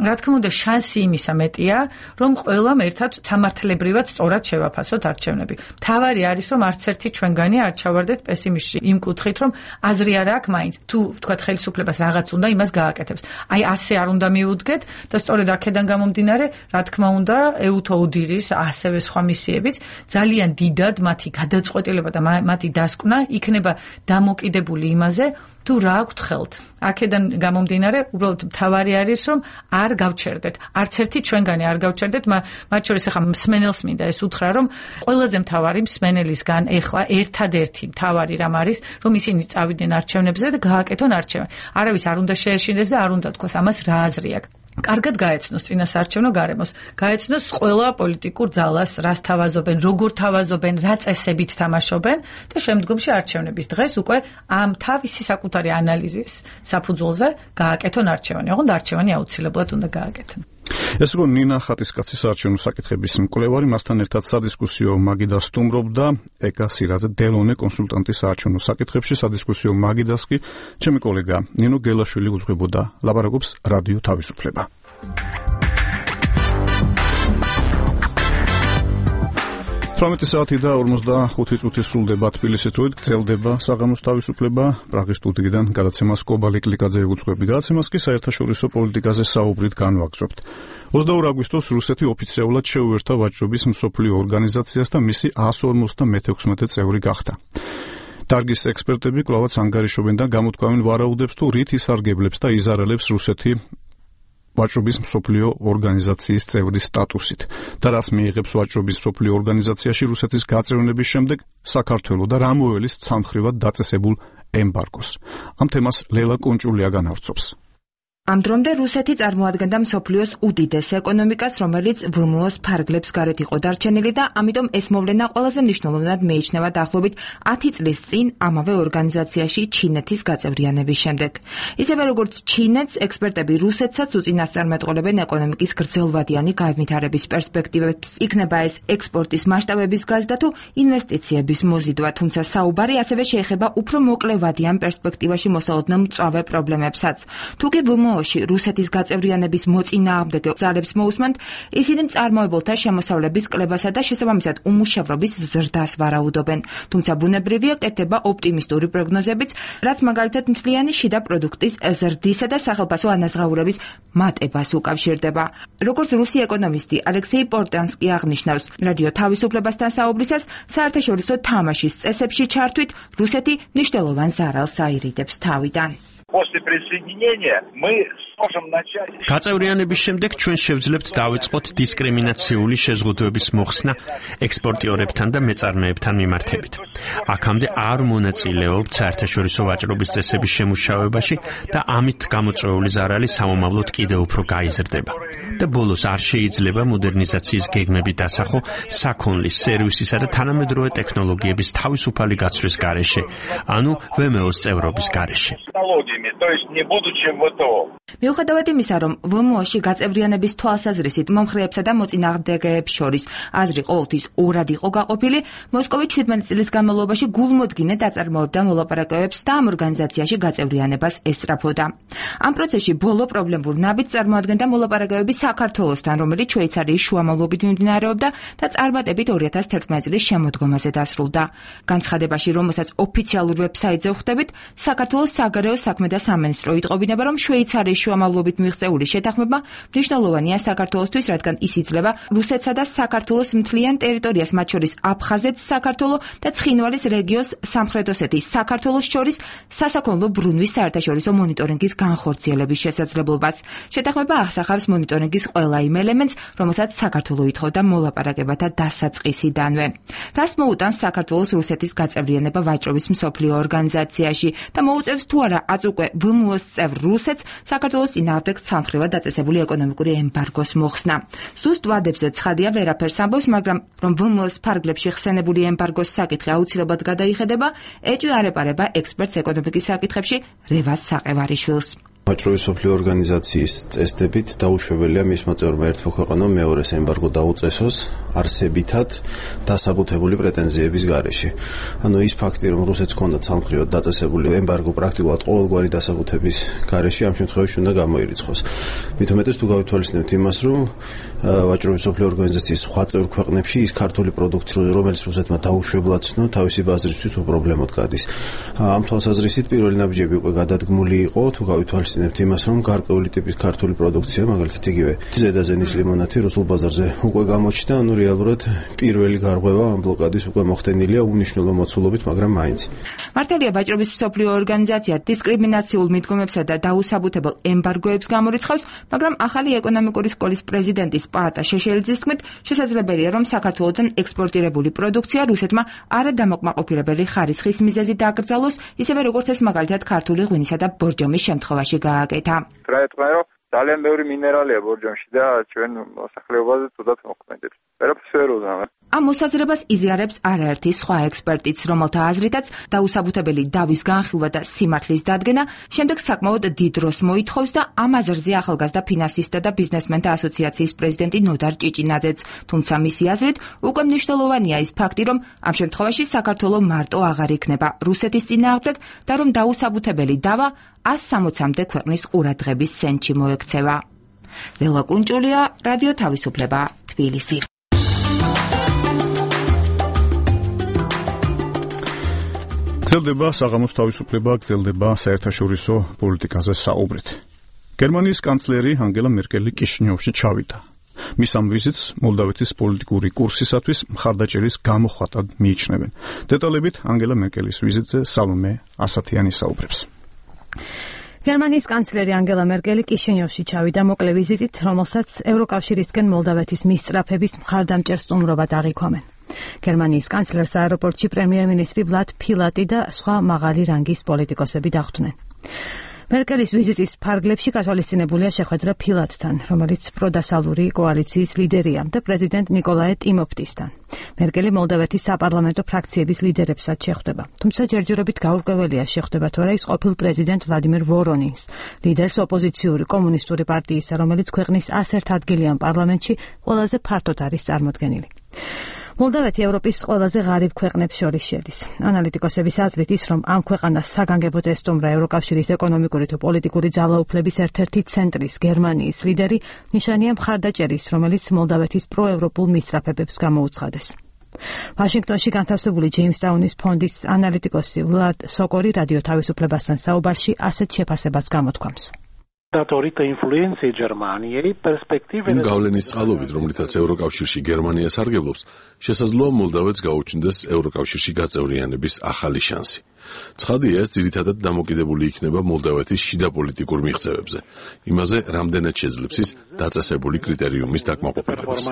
[SPEAKER 6] რა თქმა უნდა, შანსი იმისა მეტია, რომ ყველამ ერთად სამართლებრივად სწორად შევაფასოთ არჩევნები. მთავარი არის, რომ არც ერთი ჩვენგანი არ ჩავარდეთ პესიმისტში იმ კუთხით, რომ აზრი არ აქვს მაინც. თუ ვთქვათ ხელისუფლებას რაღაც უნდა, იმას გააკეთებს. აი ასე არ უნდა მიუდგეთ და სწორედ აქედან გამომდინარე, რა თქმა უნდა, ეუთოუდირის ასევე სხვა მისიებიც ძალიან დიდად მათი გადაწყვეტილება და მათი დასკვნა იქნება დამოკიდებული იმაზე, თუ რა აქვთ ხელთ. აქედან გამომდინარე, უბრალოდ მთავარი არის, რომ არ გავჩერდეთ. არც ერთი ჩვენგანი არ გავჩერდეთ, მათ შორის ახლა მსმენელს მინდა ეს უთხრა, რომ ყველაზე მთავარი მსმენელისგან ეხლა ერთადერთი მთავარი რამ არის, რომ ისინი წავიდნენ არჩევნებზე და გააკეთონ არჩევანი. არავის არ უნდა შეეშინდეს და არ უნდა თქვას ამას რა აზრი აქვს. კარგად გაეცნოს წინასაარჩევნო გარემოს, გაეცნოს ყველა პოლიტიკურ ძალას, რას თავაზობენ, როგორ თავაზობენ, რა წესებით თამაშობენ და შემდგომში არჩევნების დღეს უკვე ამ თავისი საკუთარი ანალიზის საფუძველზე გააკეთონ არჩევანი. ოღონდ არჩევანი აუცილებლად უნდა გააკეთონ.
[SPEAKER 1] ეს იყო ნინა ხატისკაცის საარჩევნო საკითხების მკვლევარი, მასთან ერთად სადისკუსიო მაგიდა სტუმრობდა ეკა სირაძე დელონე კონსულტანტი საარჩევნო საკითხებში, სადისკუსიო მაგიდას კი ჩემი კოლეგა ნინო გელაშვილი უძღვებოდა. ლაპარაკობს რადიო თავისუფლება. საათი და 45 წუთი სრულდება თბილისის დროით, გრძელდება საღამოს თავისუფლება. პრაღის სტუდიიდან გადაცემას კობალი კლიკაძე უძღვები. გადაცემას კი საერთაშორისო პოლიტიკაზე საუბრით განვაგრძობთ. 22 აგვისტოს რუსეთი ოფიციალურად შეუერთა ვაჭრობის მსოფლიო ორგანიზაციას და მისი 156 წევრი გახდა. დარგის ექსპერტები კვლავაც ანგარიშობენ და გამოთქვამენ ვარაუდებს, თუ რით ისარგებლებს და იზარალებს რუსეთი ვაჭრობის მსოფლიო ორგანიზაციის წევრის სტატუსით და რას მიიღებს ვაჭრობის მსოფლიო ორგანიზაციაში რუსეთის გაწევრიანების შემდეგ საქართველო და რა მოელის ცალმხრივად დაწესებულ ემბარგოს. ამ თემას ლელა კონჭულია განავრცობს.
[SPEAKER 9] ამ დრომდე რუსეთი წარმოადგენდა მსოფლიოს უდიდეს ეკონომიკას, რომელიც VMO-ს ფარგლებს გარეთ იყო დარჩენილი და ამიტომ ეს მოვლენა ყველაზე მნიშვნელოვნად მიიჩნევა დაახლოებით 10 წლის წინ ამავე ორგანიზაციაში ჩინეთის გაწევრიანების შემდეგ. ისევე როგორც ჩინეთს, ექსპერტები რუსეთსაც უწინასწარმეტყველებენ ეკონომიკის გრძელვადიანი განვითარების პერსპექტივებს, იქნება ეს ექსპორტის მასშტაბების გაზრდა თუ ინვესტიციების მოზიდვა, თუმცა საუბარი ასევე შეეხება უფრო მოკლევადიან პერსპექტივაში მოსალოდნელ მწვავე პრობლემებსაც. თუკი რუსეთის გაწევრიანების მოწინააღმდეგე ძალებს მოусმენთ, ისინი მწარმოებელთა შემოსავლების კლებასა და შესაბამისად უმუშევრობის ზრდას ვარაუდობენ. თუმცა ბუნებრივია კეთდება ოპტიმისტური პროგნოზებიც, რაც მაგალითად მთლიანი შიდა პროდუქტის ზრდისა და სახელფასო ანაზღაურების მატებას უკავშირდება. როგორც რუსი ეკონომისტი ალექსეი პორტანსკი აღნიშნავს, რადიო თავისუფლებასთან საუბრისას საერთაშორისო თამაშის წესებში ჩართვით რუსეთი მნიშვნელოვან ზარალს აირიდებს თავიდან.
[SPEAKER 11] გაწევრიანების შემდეგ ჩვენ შევძლებთ დავიწყოთ დისკრიმინაციული შეზღუდვების მოხსნა ექსპორტიორებთან და მეწარმეებთან მიმართებით. აქამდე არ მონაწილეობთ საერთაშორისო ვაჭრობის წესების შემუშავებაში და ამით გამოწვეული ზარალი სამომავლოდ კიდევ უფრო გაიზრდება. და ბოლოს არ შეიძლება მოდერნიზაციის გეგმები დასახო საქონლის, სერვისისა და თანამედროვე ტექნოლოგიების თავისუფალი გაცვლის გარეშე, ანუ VMO-ს წევრობის გარეშე.
[SPEAKER 9] მიუხედავად იმისა, რომ VMO-ში გაწევრიანების თვალსაზრისით მომხრეებსა და მოწინააღმდეგეებს შორის აზრი ყოველთვის ორად იყო გაყოფილი, მოსკოვი 17 წლის განმავლობაში გულმოდგინე დაწარმოებდა მოლაპარაკებებს და ამ ორგანიზაციაში გაწევრიანებას ესწრაფოდა. ამ პროცესში ბოლო პრობლემურ ნაბიჯს წარმოადგენდა მოლაპარაკებები საქართველოსთან, რომელიც შვეიცარიის შუამავლობით მიმდინარეობდა და წარმატებით 2011 წლის შემოდგომაზე დასრულდა. განცხადებაში, რომელსაც ოფიციალურ ვებსაიტზე ვხვდებით, საქართველოს საგარეო საქმეთა სამინისტრო იტყობინება, რომ შვეიცარიის შუამავლობით მიღწეული შეთანხმება მნიშვნელოვანია საქართველოსთვის, რადგან ის იძლევა რუსეთსა და საქართველოს მთლიან ტერიტორიას, მათ შორის აფხაზეთს, საქართველო და ცხინვალის რეგიონს სამხრეთ ოსეთის საქართველოს შორის სასაქონლო ბრუნვის საერთაშორისო მონიტორინგის განხორციელების შესაძლებლობას. შეთანხმება ახსახავს მონიტორინგის ყველა იმ ელემენტს, რომელსაც საქართველო ითხოვდა მოლაპარაკებათა დასაწყისიდანვე. რას მოუტანს საქართველოს რუსეთის გაწევრიანება ვაჭრობის მსოფლიო ორგანიზაციაში და მოუწევს თუ არა აწუკვე VMO-ს წევრ რუსეთს საქართველოს წინააღმდეგ ცალმხრივად დაწესებული ეკონომიკური ემბარგოს მოხსნა. ზუსტ ვადებზე ცხადია ვერაფერს ამბობს, მაგრამ რომ VMO-ს ფარგლებში ხსენებული ემბარგოს საკითხი აუცილებლად გადაიხედება, ეჭვი არ ეპარება ექსპერტს ეკონომიკის საკითხებში რევას საყევარიშვილს.
[SPEAKER 23] ვაჭრობის მსოფლიო ორგანიზაციის წესდებით დაუშვებელია მისმა წევრმა ერთმა ქვეყანამ მეორეს ემბარგო დაუწესოს არსებითად დასაბუთებული პრეტენზიების გარეშე. ანუ ის ფაქტი, რომ რუსეთს ჰქონდა ცალმხრივად დაწესებული ემბარგო პრაქტიკულად ყოველგვარი დასაბუთების გარეშე, ამ შემთხვევაში უნდა გამოირიცხოს. მით უმეტეს თუ გავითვალისწინებთ იმას, რომ ვაჭრობის მსოფლიო ორგანიზაციის სხვა წევრ ქვეყნებში ის ქართული პროდუქცია, რომელიც რუსეთმა დაუშვებლად ცნო, თავისი ბაზრისთვის უპრობლემოდ გადის. ამ თვალსაზრისით პირველი ნაბიჯები უკვე გადადგმული იყო, თუ გავითვალისწინებთ იმას, რომ გარკვეული ტიპის ქართული პროდუქცია, მაგალითად იგივე ზედაზენის ლიმონათი რუსულ ბაზარზე უკვე გამოჩნდა, ანუ რეალურად პირველი გარღვევა ამ ბლოკადის უკვე მოხდენილია უნიშნელო მოცულობით, მაგრამ მაინც.
[SPEAKER 9] მართალია ვაჭრობის მსოფლიო ორგანიზაცია დისკრიმინაციულ მიდგომებსა და დაუსაბუთებელ ემბარგოებს გამორიცხავს, მაგრამ ახალი ეკონომიკური სკოლის პრეზიდენტის პაატა შეშელიძის თქმით, შესაძლებელია, რომ საქართველოდან ექსპორტირებული პროდუქცია რუსეთმა არადამოკმაყოფილებელი ხარისხის მიზეზით დაკრძალოს, ისევე როგორც ეს მაგალითად ქართული ღვინისა და ბორჯომის შემთხვევაში გააკეთა.
[SPEAKER 12] ძალიან ბევრი მინერალია ბორჯომში და ჩვენ მოსახლეობაზე თუდად მოქმედებს. ვერაფერს ვერ უზნავ.
[SPEAKER 9] ამ მოსაზრებას იზიარებს არაერთი სხვა ექსპერტიც, რომელთა აზრითაც დაუსაბუთებელი დავის განხილვა და სიმართლის დადგენა შემდეგ საკმაოდ დიდ დროს მოითხოვს და ამ აზრზე ახალგაზრდა ფინანსისტთა და ბიზნესმენთა ასოციაციის პრეზიდენტი ნოდარ ჭიჭინაძეც, თუმცა მისი აზრით უკვე მნიშვნელოვანია ის ფაქტი, რომ ამ შემთხვევაში საქართველოს მარტო აღარ იქნება რუსეთის წინააღმდეგ და რომ დაუსაბუთებელი დავა 160-მდე ქვეყნის ყურადღების ცენტრში მოექცევა. ლელა კუნჭულია, რადიო თავისუფლება, თბილისი.
[SPEAKER 1] გრძელდება საღამოს თავისუფლება, გრძელდება საერთაშორისო პოლიტიკაზე საუბრით. გერმანიის კანცლერი ანგელა მერკელი კიშინიოვში ჩავიდა. მის ამ ვიზიტს მოლდავეთის პოლიტიკური კურსისათვის მხარდაჭერის გამოხატად მიიჩნევენ. დეტალებით ანგელა მერკელის ვიზიტზე სალომე ასათიანი საუბრებს.
[SPEAKER 14] გერმანიის კანცლერი ანგელა მერკელი კიშინიოვში ჩავიდა მოკლე ვიზიტით, რომელსაც ევროკავშირისკენ მოლდავეთის მისწრაფების მხარდამჭერ სტუმრობად აღიქვამენ. გერმანიის კანცლერს აეროპორტში პრემიერ-მინისტრი ვლად ფილატი და სხვა მაღალი რანგის პოლიტიკოსები დახვდნენ. მერკელის ვიზიტის ფარგლებში გათვალისწინებულია შეხვედრა ფილატთან, რომელიც პროდასალური კოალიციის ლიდერია და პრეზიდენტ ნიკოლაე ტიმოფტისთან. მერკელი მოლდავეთის საპარლამენტო ფრაქციების ლიდერებსაც შეხვდება. თუმცა ჯერჯერობით გაურკვეველია შეხვდება თუ არა ის ყოფილ პრეზიდენტ ვლადიმერ ვორონინს, ლიდერს ოპოზიციური კომუნისტური პარტიისა, რომელიც ქვეყნის 101 ადგილიან პარლამენტში ყველაზე ფართოდ არის წარმოდგენილი. მოლდავეთი ევროპის ყველაზე ღარიბ ქვეყნებს შორის შედის. ანალიტიკოსების აზრით ის, რომ ამ ქვეყანას საგანგებოდ ესტუმრა ევროკავშირის ეკონომიკური თუ პოლიტიკური ძალაუფლების ერთ-ერთი ცენტრის გერმანიის ლიდერი, ნიშანია მხარდაჭერის, რომელიც მოლდავეთის პროევროპულ მისწრაფებებს გამოუცხადეს. ვაშინგტონში განთავსებული ჯეიმსტაუნის ფონდის ანალიტიკოსი ვლად სოკორი რადიო თავისუფლებასთან საუბარში ასეთ შეფასებას გამოთქვამს.
[SPEAKER 4] იმ გავლენის წყალობით, რომლითაც ევროკავშირში გერმანია სარგებლობს, შესაძლოა მოლდავეთს გაუჩნდეს ევროკავშირში გაწევრიანების ახალი შანსი. ცხადია, ეს ძირითადად დამოკიდებული იქნება მოლდავეთის შიდა პოლიტიკურ მიღწევებზე, იმაზე, რამდენად შეძლებს ის დაწესებული კრიტერიუმის დაკმაყოფილებას.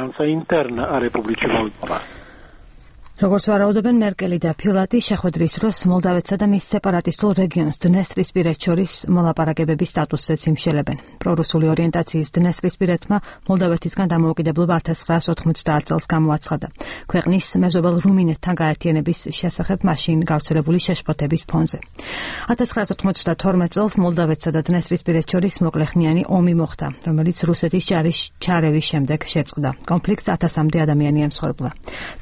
[SPEAKER 14] როგორც ვარაუდობენ მერკელი და ფილატი შეხვედრის დროს მოლდავეთსა და მის სეპარატისტულ რეგიონს დნესტრისპირეთს შორის მოლაპარაკებების სტატუსზეც იმშელებენ. პრორუსული ორიენტაციის დნესტრისპირეთმა მოლდავეთისგან დამოუკიდებლობა 1990 წელს გამოაცხადა. ქვეყნის მეზობელ რუმინეთთან გაერთიანების შესახებ მაშინ გავრცელებული შეშფოთების ფონზე. 1992 წელს მოლდავეთსა და დნესტრისპირეთს შორის მოკლეხნიანი ომი მოხდა, რომელიც რუსეთის ჯარის ჩარევის შემდეგ შეწყდა. კონფლიქტს 1000-მდე ადამიანი ემსხვერპლა.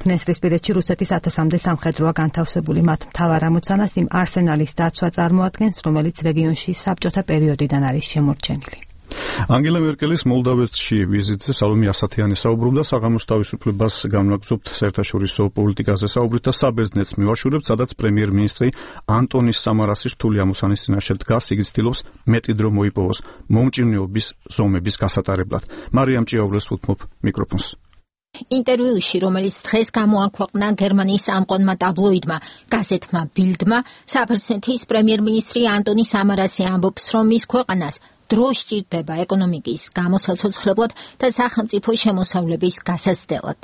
[SPEAKER 14] დნესტრისპირეთში რუსეთის 1000-მდე სამხედროა განთავსებული, მათ მთავარ ამოცანას იმ არსენალის დაცვა წარმოადგენს, რომელიც რეგიონში საბჭოთა პერიოდიდან არის შემორჩენილი.
[SPEAKER 1] ანგელა მერკელის მოლდავეთში ვიზიტზე სალომე ასათიანი საუბრობდა საღამოს თავისუფლებას განვაგრძობთ საერთაშორისო პოლიტიკაზე საუბრით და საბერძნეთს მივაშურებთ, სადაც პრემიერ-მინისტრი ანტონის სამარასის რთული ამოცანის წინაშე დგას, იგი ცდილობს მეტი დრო მოიპოვოს მომჭირნეობის ზომების გასატარებლად. მარიამ ჭიაურეს უთმობ მიკროფონს.
[SPEAKER 2] ინტერვიუში, რომელიც დღეს გამოაქვეყნა გერმანიის ამყონმა ტაბლოიდმა, გაზეთმა ბილდმა, საბერძნეთის პრემიერ-მინისტრი ანტონი სამარასი ამბობს, რომ მის ქვეყანას დრო სჭირდება ეკონომიკის გამოსაცოცხლებლად და სახელმწიფო შემოსავლების გასაცდელად.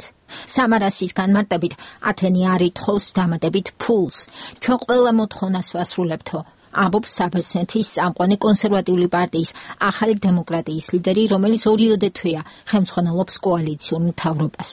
[SPEAKER 2] სამარასის განმარტებით, ათენი არ ითხოვს დამატებით ფულს. ჩვენ ყველა მოთხოვნას ვასრულებთო. ამბობს საბერძნეთის წამყვანი კონსერვატიული პარტიის ახალი დემოკრატიის ლიდერი, რომელიც ორიოდე თვეა ხელმძღვანელობს კოალიციურ მთავრობას.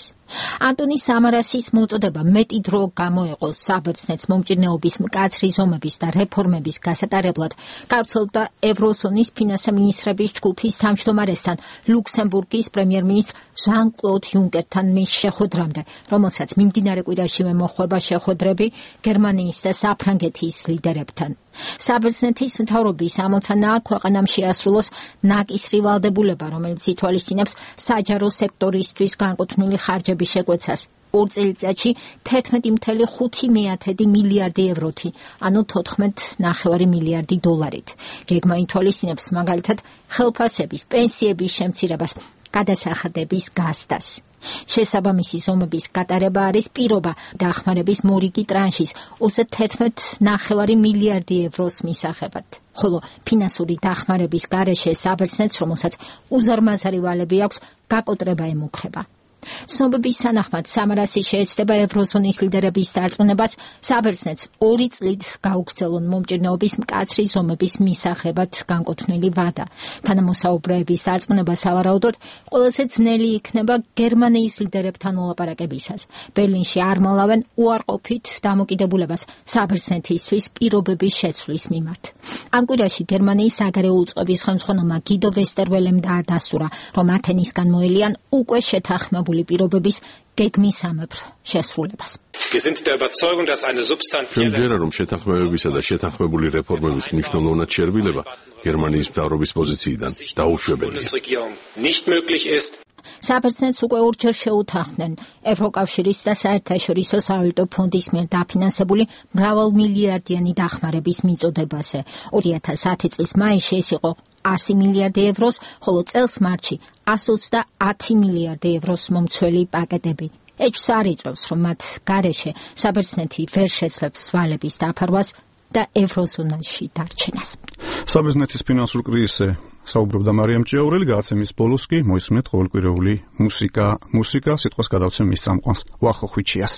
[SPEAKER 2] ანტონი სამარასის მოწოდება მეტი დრო გამოეყო საბერძნეთს მომჭირნეობის მკაცრი ზომების და რეფორმების გასატარებლად, გავრცელდა ევროზონის ფინანსთა მინისტრების ჯგუფის თავმჯდომარესთან, ლუქსემბურგის პრემიერ-მინისტრ ჟან-კლოდ იუნკერთან მის შეხვედრამდე, რომელსაც მიმდინარე კვირაშივე მოჰყვება შეხვედრები გერმანიის და საფრანგეთის ლიდერებთან. საბერძნეთის მთავრობის ამოცანაა ქვეყანამ შეასრულოს ნაკისრი ვალდებულება, რომელიც ითვალისწინებს საჯარო სექტორისთვის განკუთვნილი ხარჯების შეკვეცას. 2 წელიწადში 11,5 მილიარდი ევროთი, ანუ 14,9 მილიარდი დოლარით. გეგმა ითვალისწინებს მაგალითად ხელფასების, პენსიების შემცირებას, გადასახადების გასდას. შესაბამისი ზომების გატარება არის პირობა დახმარების მორიგი ტრანშის 31,9 მილიარდი ევროს მისაღებად. ხოლო ფინანსური დახმარების გარეშე საბერძნეთს, რომელსაც უზარმაზარი ვალები აქვს, გაკოტრება ემუქრება. ცნობების თანახმად სამარასი შეეცდება ევროზონის ლიდერების დარწმუნებას საბერძნეთს 2 წლით გაუგრძელონ მომჭირნეობის მკაცრი ზომების მისაღებად განკუთვნილი ვადა. თანამოსაუბრეების დარწმუნება სავარაუდოდ ყველაზე ძნელი იქნება გერმანიის ლიდერებთან მოლაპარაკებისას. ბერლინში არ მალავენ უარყოფით დამოკიდებულებას საბერძნეთისთვის პირობების შეცვლის მიმართ. ამ კვირაში გერმანიის საგარეო უწყების ხელმძღვანელმა გიდო ვესტერველემ დაადასტურა, რომ ათენისგან მოელიან უკვე შეთანხმებული პირობების გეგმისამებრ შესრულებას.
[SPEAKER 4] ჩვენ ვერა რომ შეთანხმებებისა და შეთანხმებული რეფორმების მნიშვნელოვნად შერბილება გერმანიის მთავრობის პოზიციიდან დაუშვებელია.
[SPEAKER 2] საბერძნეთს უკვე ორჯერ შეუთანხმდნენ ევროკავშირის და საერთაშორისო სავალუტო ფონდის მიერ დაფინანსებული მრავალმილიარდიანი დახმარების მიწოდებაზე. 2010 წლის მაისში ეს იყო 100 მილიარდი ევროს, ხოლო წელს მარტში 130 მილიარდი ევროს მომცველი პაკეტები. ეჭვს არ იწვევს, რომ მათ გარეშე საბერძნეთი ვერ შეძლებს ვალების დაფარვას და ევროზონაში დარჩენას.
[SPEAKER 1] საბერძნეთის ფინანსურ კრიზისზე საუბრობდა მარიამ ჭიაურელი, გადაცემის ბოლოს კი მოისმენთ ყოველკვირეული მუსიკა, სიტყვას გადავცემ მის წამყვანს ვახო ხვიჩიას.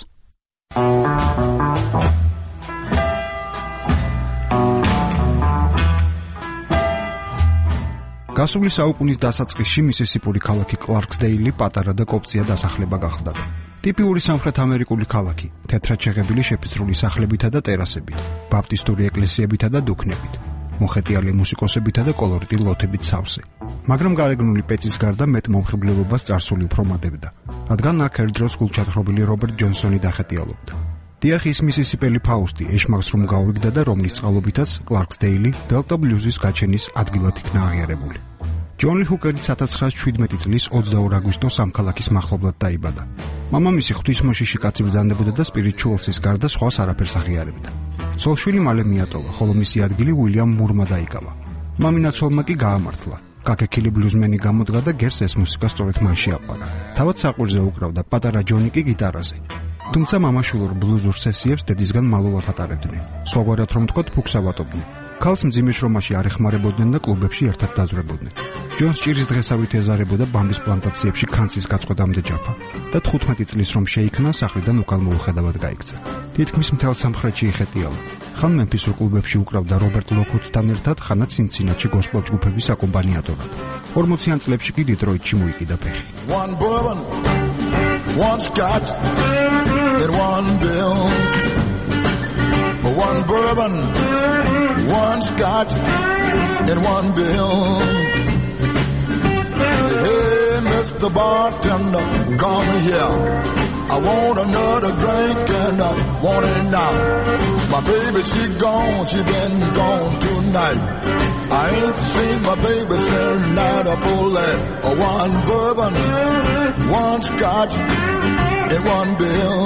[SPEAKER 1] გასული საუკუნის დასაწყისში მისისიპური ქალაქი კლარკსდეილი პატარა და კოპწია დასახლება გახლდათ. ტიპიური სამხრეთ ამერიკული ქალაქი, თეთრად შეღებილი შეფიცრული სახლებითა და ტერასებით, ბაპტისტური ეკლესიებითა და დუქნებით, მოხეტიალე მუსიკოსებითა და კოლორიტი ლოთებით სავსე. მაგრამ გარეგნული პეწის გარდა მეტ მომხიბლელობას წარსული უფრო მატებდა, რადგან აქ ერთდროს გულჩათხრობილი რობერტ ჯონსონი დახეტიალობდა. დიახ, ის მისისიპელი ფაუსტი ეშმაკს რომ გაურიგდა და რომლის წყალობითაც კლარკსდეილი დელტა ბლუზის გაჩენის ადგილად იქნა აღიარებული. ჯონ ლი ჰუკერი 1917 წლის 22 აგვისტოს ამ ქალაქის მახლობლად დაიბადა. მამამისი ღვთისმოშიში კაცი ბრძანდებოდა და სპირიჩუალსის გარდა სხვას არაფერს აღიარებდა. ცოლ-შვილი მალე მიატოვა, ხოლო მისი ადგილი უილიამ მურმა დაიკავა. მამინაცოლმა კი გაამართლა. კაკექილი ბლუზმენი გამოდგა და გერს ეს მუსიკა სწორედ მან შეაყვარა. თავად საყვირზე უკრავდა, პატარა ჯონი კი გიტარაზე. თუმცა მამაშულურ ბლუზურ სესიებს დედისგან მალულად ატარებდნენ. სხვაგვარად რომ ვთქვათ, ფუქს ავატობდნენ. ქალს მძიმე შრომაში არ ეხმარებოდნენ და კლუბებში ერთად დაძვრებოდნენ. ჯონს ჭირის დღესავით ეზარებოდა ბამბის პლანტაციებში ქანცის გაწყვეტამდე ჯაფა და 15 წლის რომ შეიქმნა, სახლიდან უკან მოუხედავად გაიქცა. თითქმის მთელ სამხრეთში იხეტიალა. ხან მემფისურ კლუბებში უკრავდა რობერტ ლოქუთთან ერთად, ხანაც ცინცინატში გოსპელ ჯგუფების აკომპანიატორად. 40-იან წლებში კი დიტროიტში მოიკიდა ფეხი.
[SPEAKER 15] One scotch and one bill, one bourbon, one scotch and one bill. Hey, Mr. Bartender, come here. I want another drink and I want it now. My baby, she gone, she been gone tonight. I ain't seen my baby since night of full light. One bourbon, one scotch and one bill.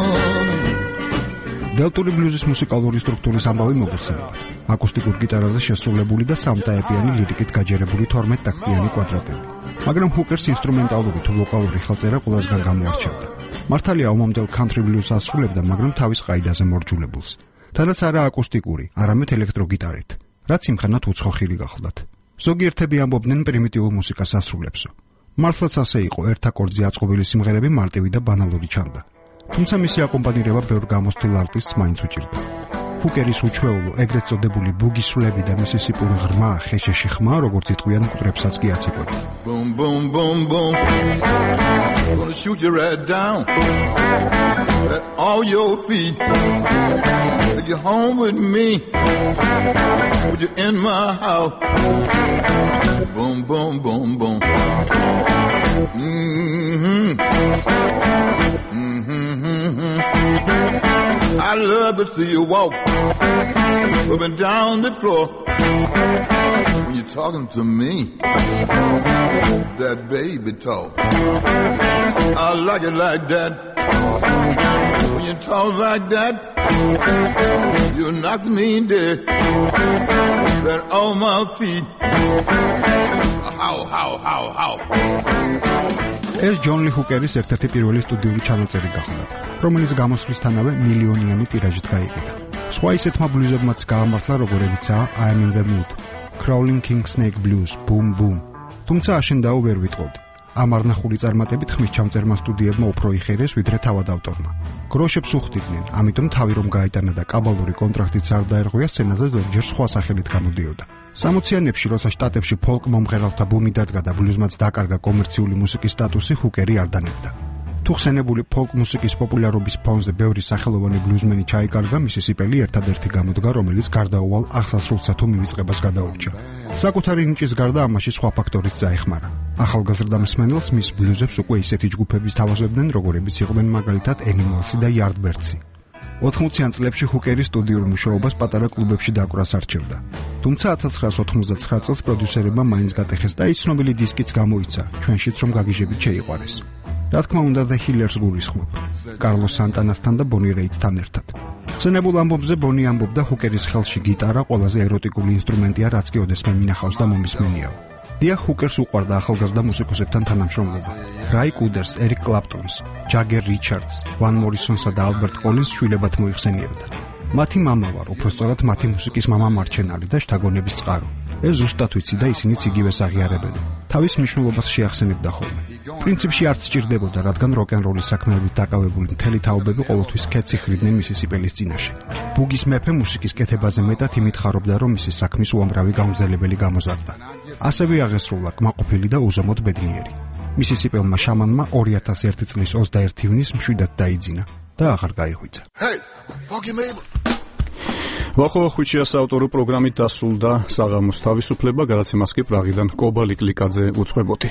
[SPEAKER 21] დელტური ბლუზის მუსიკალური სტრუქტურის ამბავი მოგეხსენებათ. აკუსტიკურ გიტარაზე შესრულებული და სამტაეპიანი ლირიკით გაჯერებული 12 ტაქტიანი კვადრატები. მაგრამ ჰუკერს ინსტრუმენტალური თუ ვოკალური ხელწერა ყველასგან გამოარჩევდა. მართალია ომამდელ country blues ასრულებდა, მაგრამ თავის ყაიდაზე მორჯულებულს. თანაც არა აკუსტიკური, არამედ ელექტროგიტარით, რაც იმხანად უცხოხილი გახლდათ. ზოგიერთები ამბობდნენ პრიმიტიულ მუსიკას ასრულებსო. მართლაც ასე იყო, ერთ აკორდზე აწყობილი სიმღერები მარტივი და ბანალური ჩანდა. თუმცა მისი აკომპანირება ბევრ გამოსთილ არტისტს მაინც უჭირდა. ჰუკერის უჩვეულო, ეგრეთ წოდებული ბუგისვლები და მისისიპური ღრმა, ხეშეში ხმა, როგორც იტყვიან მკვდრებსაც კი აწიყვება.
[SPEAKER 15] Boom, boom, boom, boom. Gonna shoot you right down at all your feet. Take you home with me. Put you in my house. Boom, boom, boom, boom. I love to see you walk up and down the floor when you're talking to me. That baby talk, I like it like that. When you talk like that, you knock me dead. Right on my feet. How.
[SPEAKER 21] ეს ჯონ ლი ჰუკერის ერთ-ერთი პირველი სტუდიური ჩანაწერი გახლდათ, რომელიც გამოსვლისთანავე მილიონიანი ტირაჟით გაიყიდა. სხვა ისეთმა ბლუზებმაც გაამართლა, როგორებიცაა I Am in the Mood, Crawling King Snake Blues, Boom Boom. თუმცა აშენდაო ვერ ვიტყოდი. ამ არნახული წარმატებით ხმის ჩამწერმა სტუდიებმა უფრო იხერეს, ვიდრე თავად ავტორმა. გროშებს უხდიდნენ, ამიტომ თავი რომ გაიტანა და კაბალური კონტრაქტიც არ დაერღვია, სცენაზე ზოგჯერ სხვა სახელით გამოდიოდა. 60-იანებში, როცა შტატებში ფოლკ მომღერალთა ბუმი დადგა და ბლუზმაც დაკარგა კომერციული მუსიკის სტატუსი, ჰუკერი არ დანებდა. თუ ხსენებული ფოლკ მუსიკის პოპულარობის ფონზე ბევრი სახელოვანი ბლუზმენი ჩაიკარგა, მისი სიპელი ერთადერთი გამოდგა, რომელიც გარდაუვალ აღსასრულსა თუ მივიწყებას გადაურჩა. საკუთარი ნიჭის გარდა ამაში სხვა ფაქტორიც წაეხმარა. ახალგაზრდა მსმენელს მის ბლუზებს უკვე ისეთი ჯგუფების თავაზობდნენ, როგორებიც იყვნენ მაგალითად Animals და Yardbirds. 80-იან წლებში ჰუკერის სტუდიურ მუშაობას პატარა კლუბებში დაკვრას არჩევდა. თუმცა 1999 წელს პროდიუსერებმა მაინც გატეხეს და ის ცნობილი დისკიც გამოიცა, ჩვენშიც რომ გაგიჟებით შეიყვარეს. რა თქმა უნდა, The Killers გულისხმობ, კარლოს სანტანასთან და ბონი რეიდთან ერთად. ხსენებულ ამბობზე ბონი ამბობდა, ჰუკერის ხელში გიტარა ყველაზე ეროტიკული ინსტრუმენტია, რაც კი ოდესმე მინახავს და მომისმენია. დიახ, ჰუკერს უყვარდა ახალგაზრდა მუსიკოსებთან თანამშრომლობა. რაი კუდერს, ერიკ კლაპტონს, ჯაგერ რიჩარდს, ვან მორისონსა და ალბერტ კოლინს შვილებად მოიხსენიებდა. მათი მამა ვარ, უბრალოდ მათი მუსიკის მამა მარჩენალი და შთაგონების წყარო. ეს ზუსტად ვიცი და ისინიც იგივეს აღიარებენ. თავის მნიშვნელობას შეახსენებდა ხოლმე. პრინციპში არც სჭირდებოდა, რადგან როკ-ენ-როლის საქმეებით დაკავებული მთელი თაობები ყოველთვის ქეთს იხრიდნენ მისი სიპელის წინაშე. ბუგის მეფე მუსიკის კეთებაზე მეტად იმით ხარობდა, რომ მისი საქმის უამრავი გამგზელებელი გამოზარდა. ასევე აღესრულა კმაყოფილი და უზომოდ ბედნიერი. მისი სიპელმა შამანმა 2001 წლის 21 ივნისს მშვიდად დაიძინა და აღარ გაიღვიძა.
[SPEAKER 15] Hey, fucking Mabel.
[SPEAKER 1] ვახო-ვახვიჩია საავტორო პროგრამით დასრულდა საღამოს თავისუფლება, გადაცემას კი პრაღიდან კობა ლიკლიკაძე უძღვებოდი.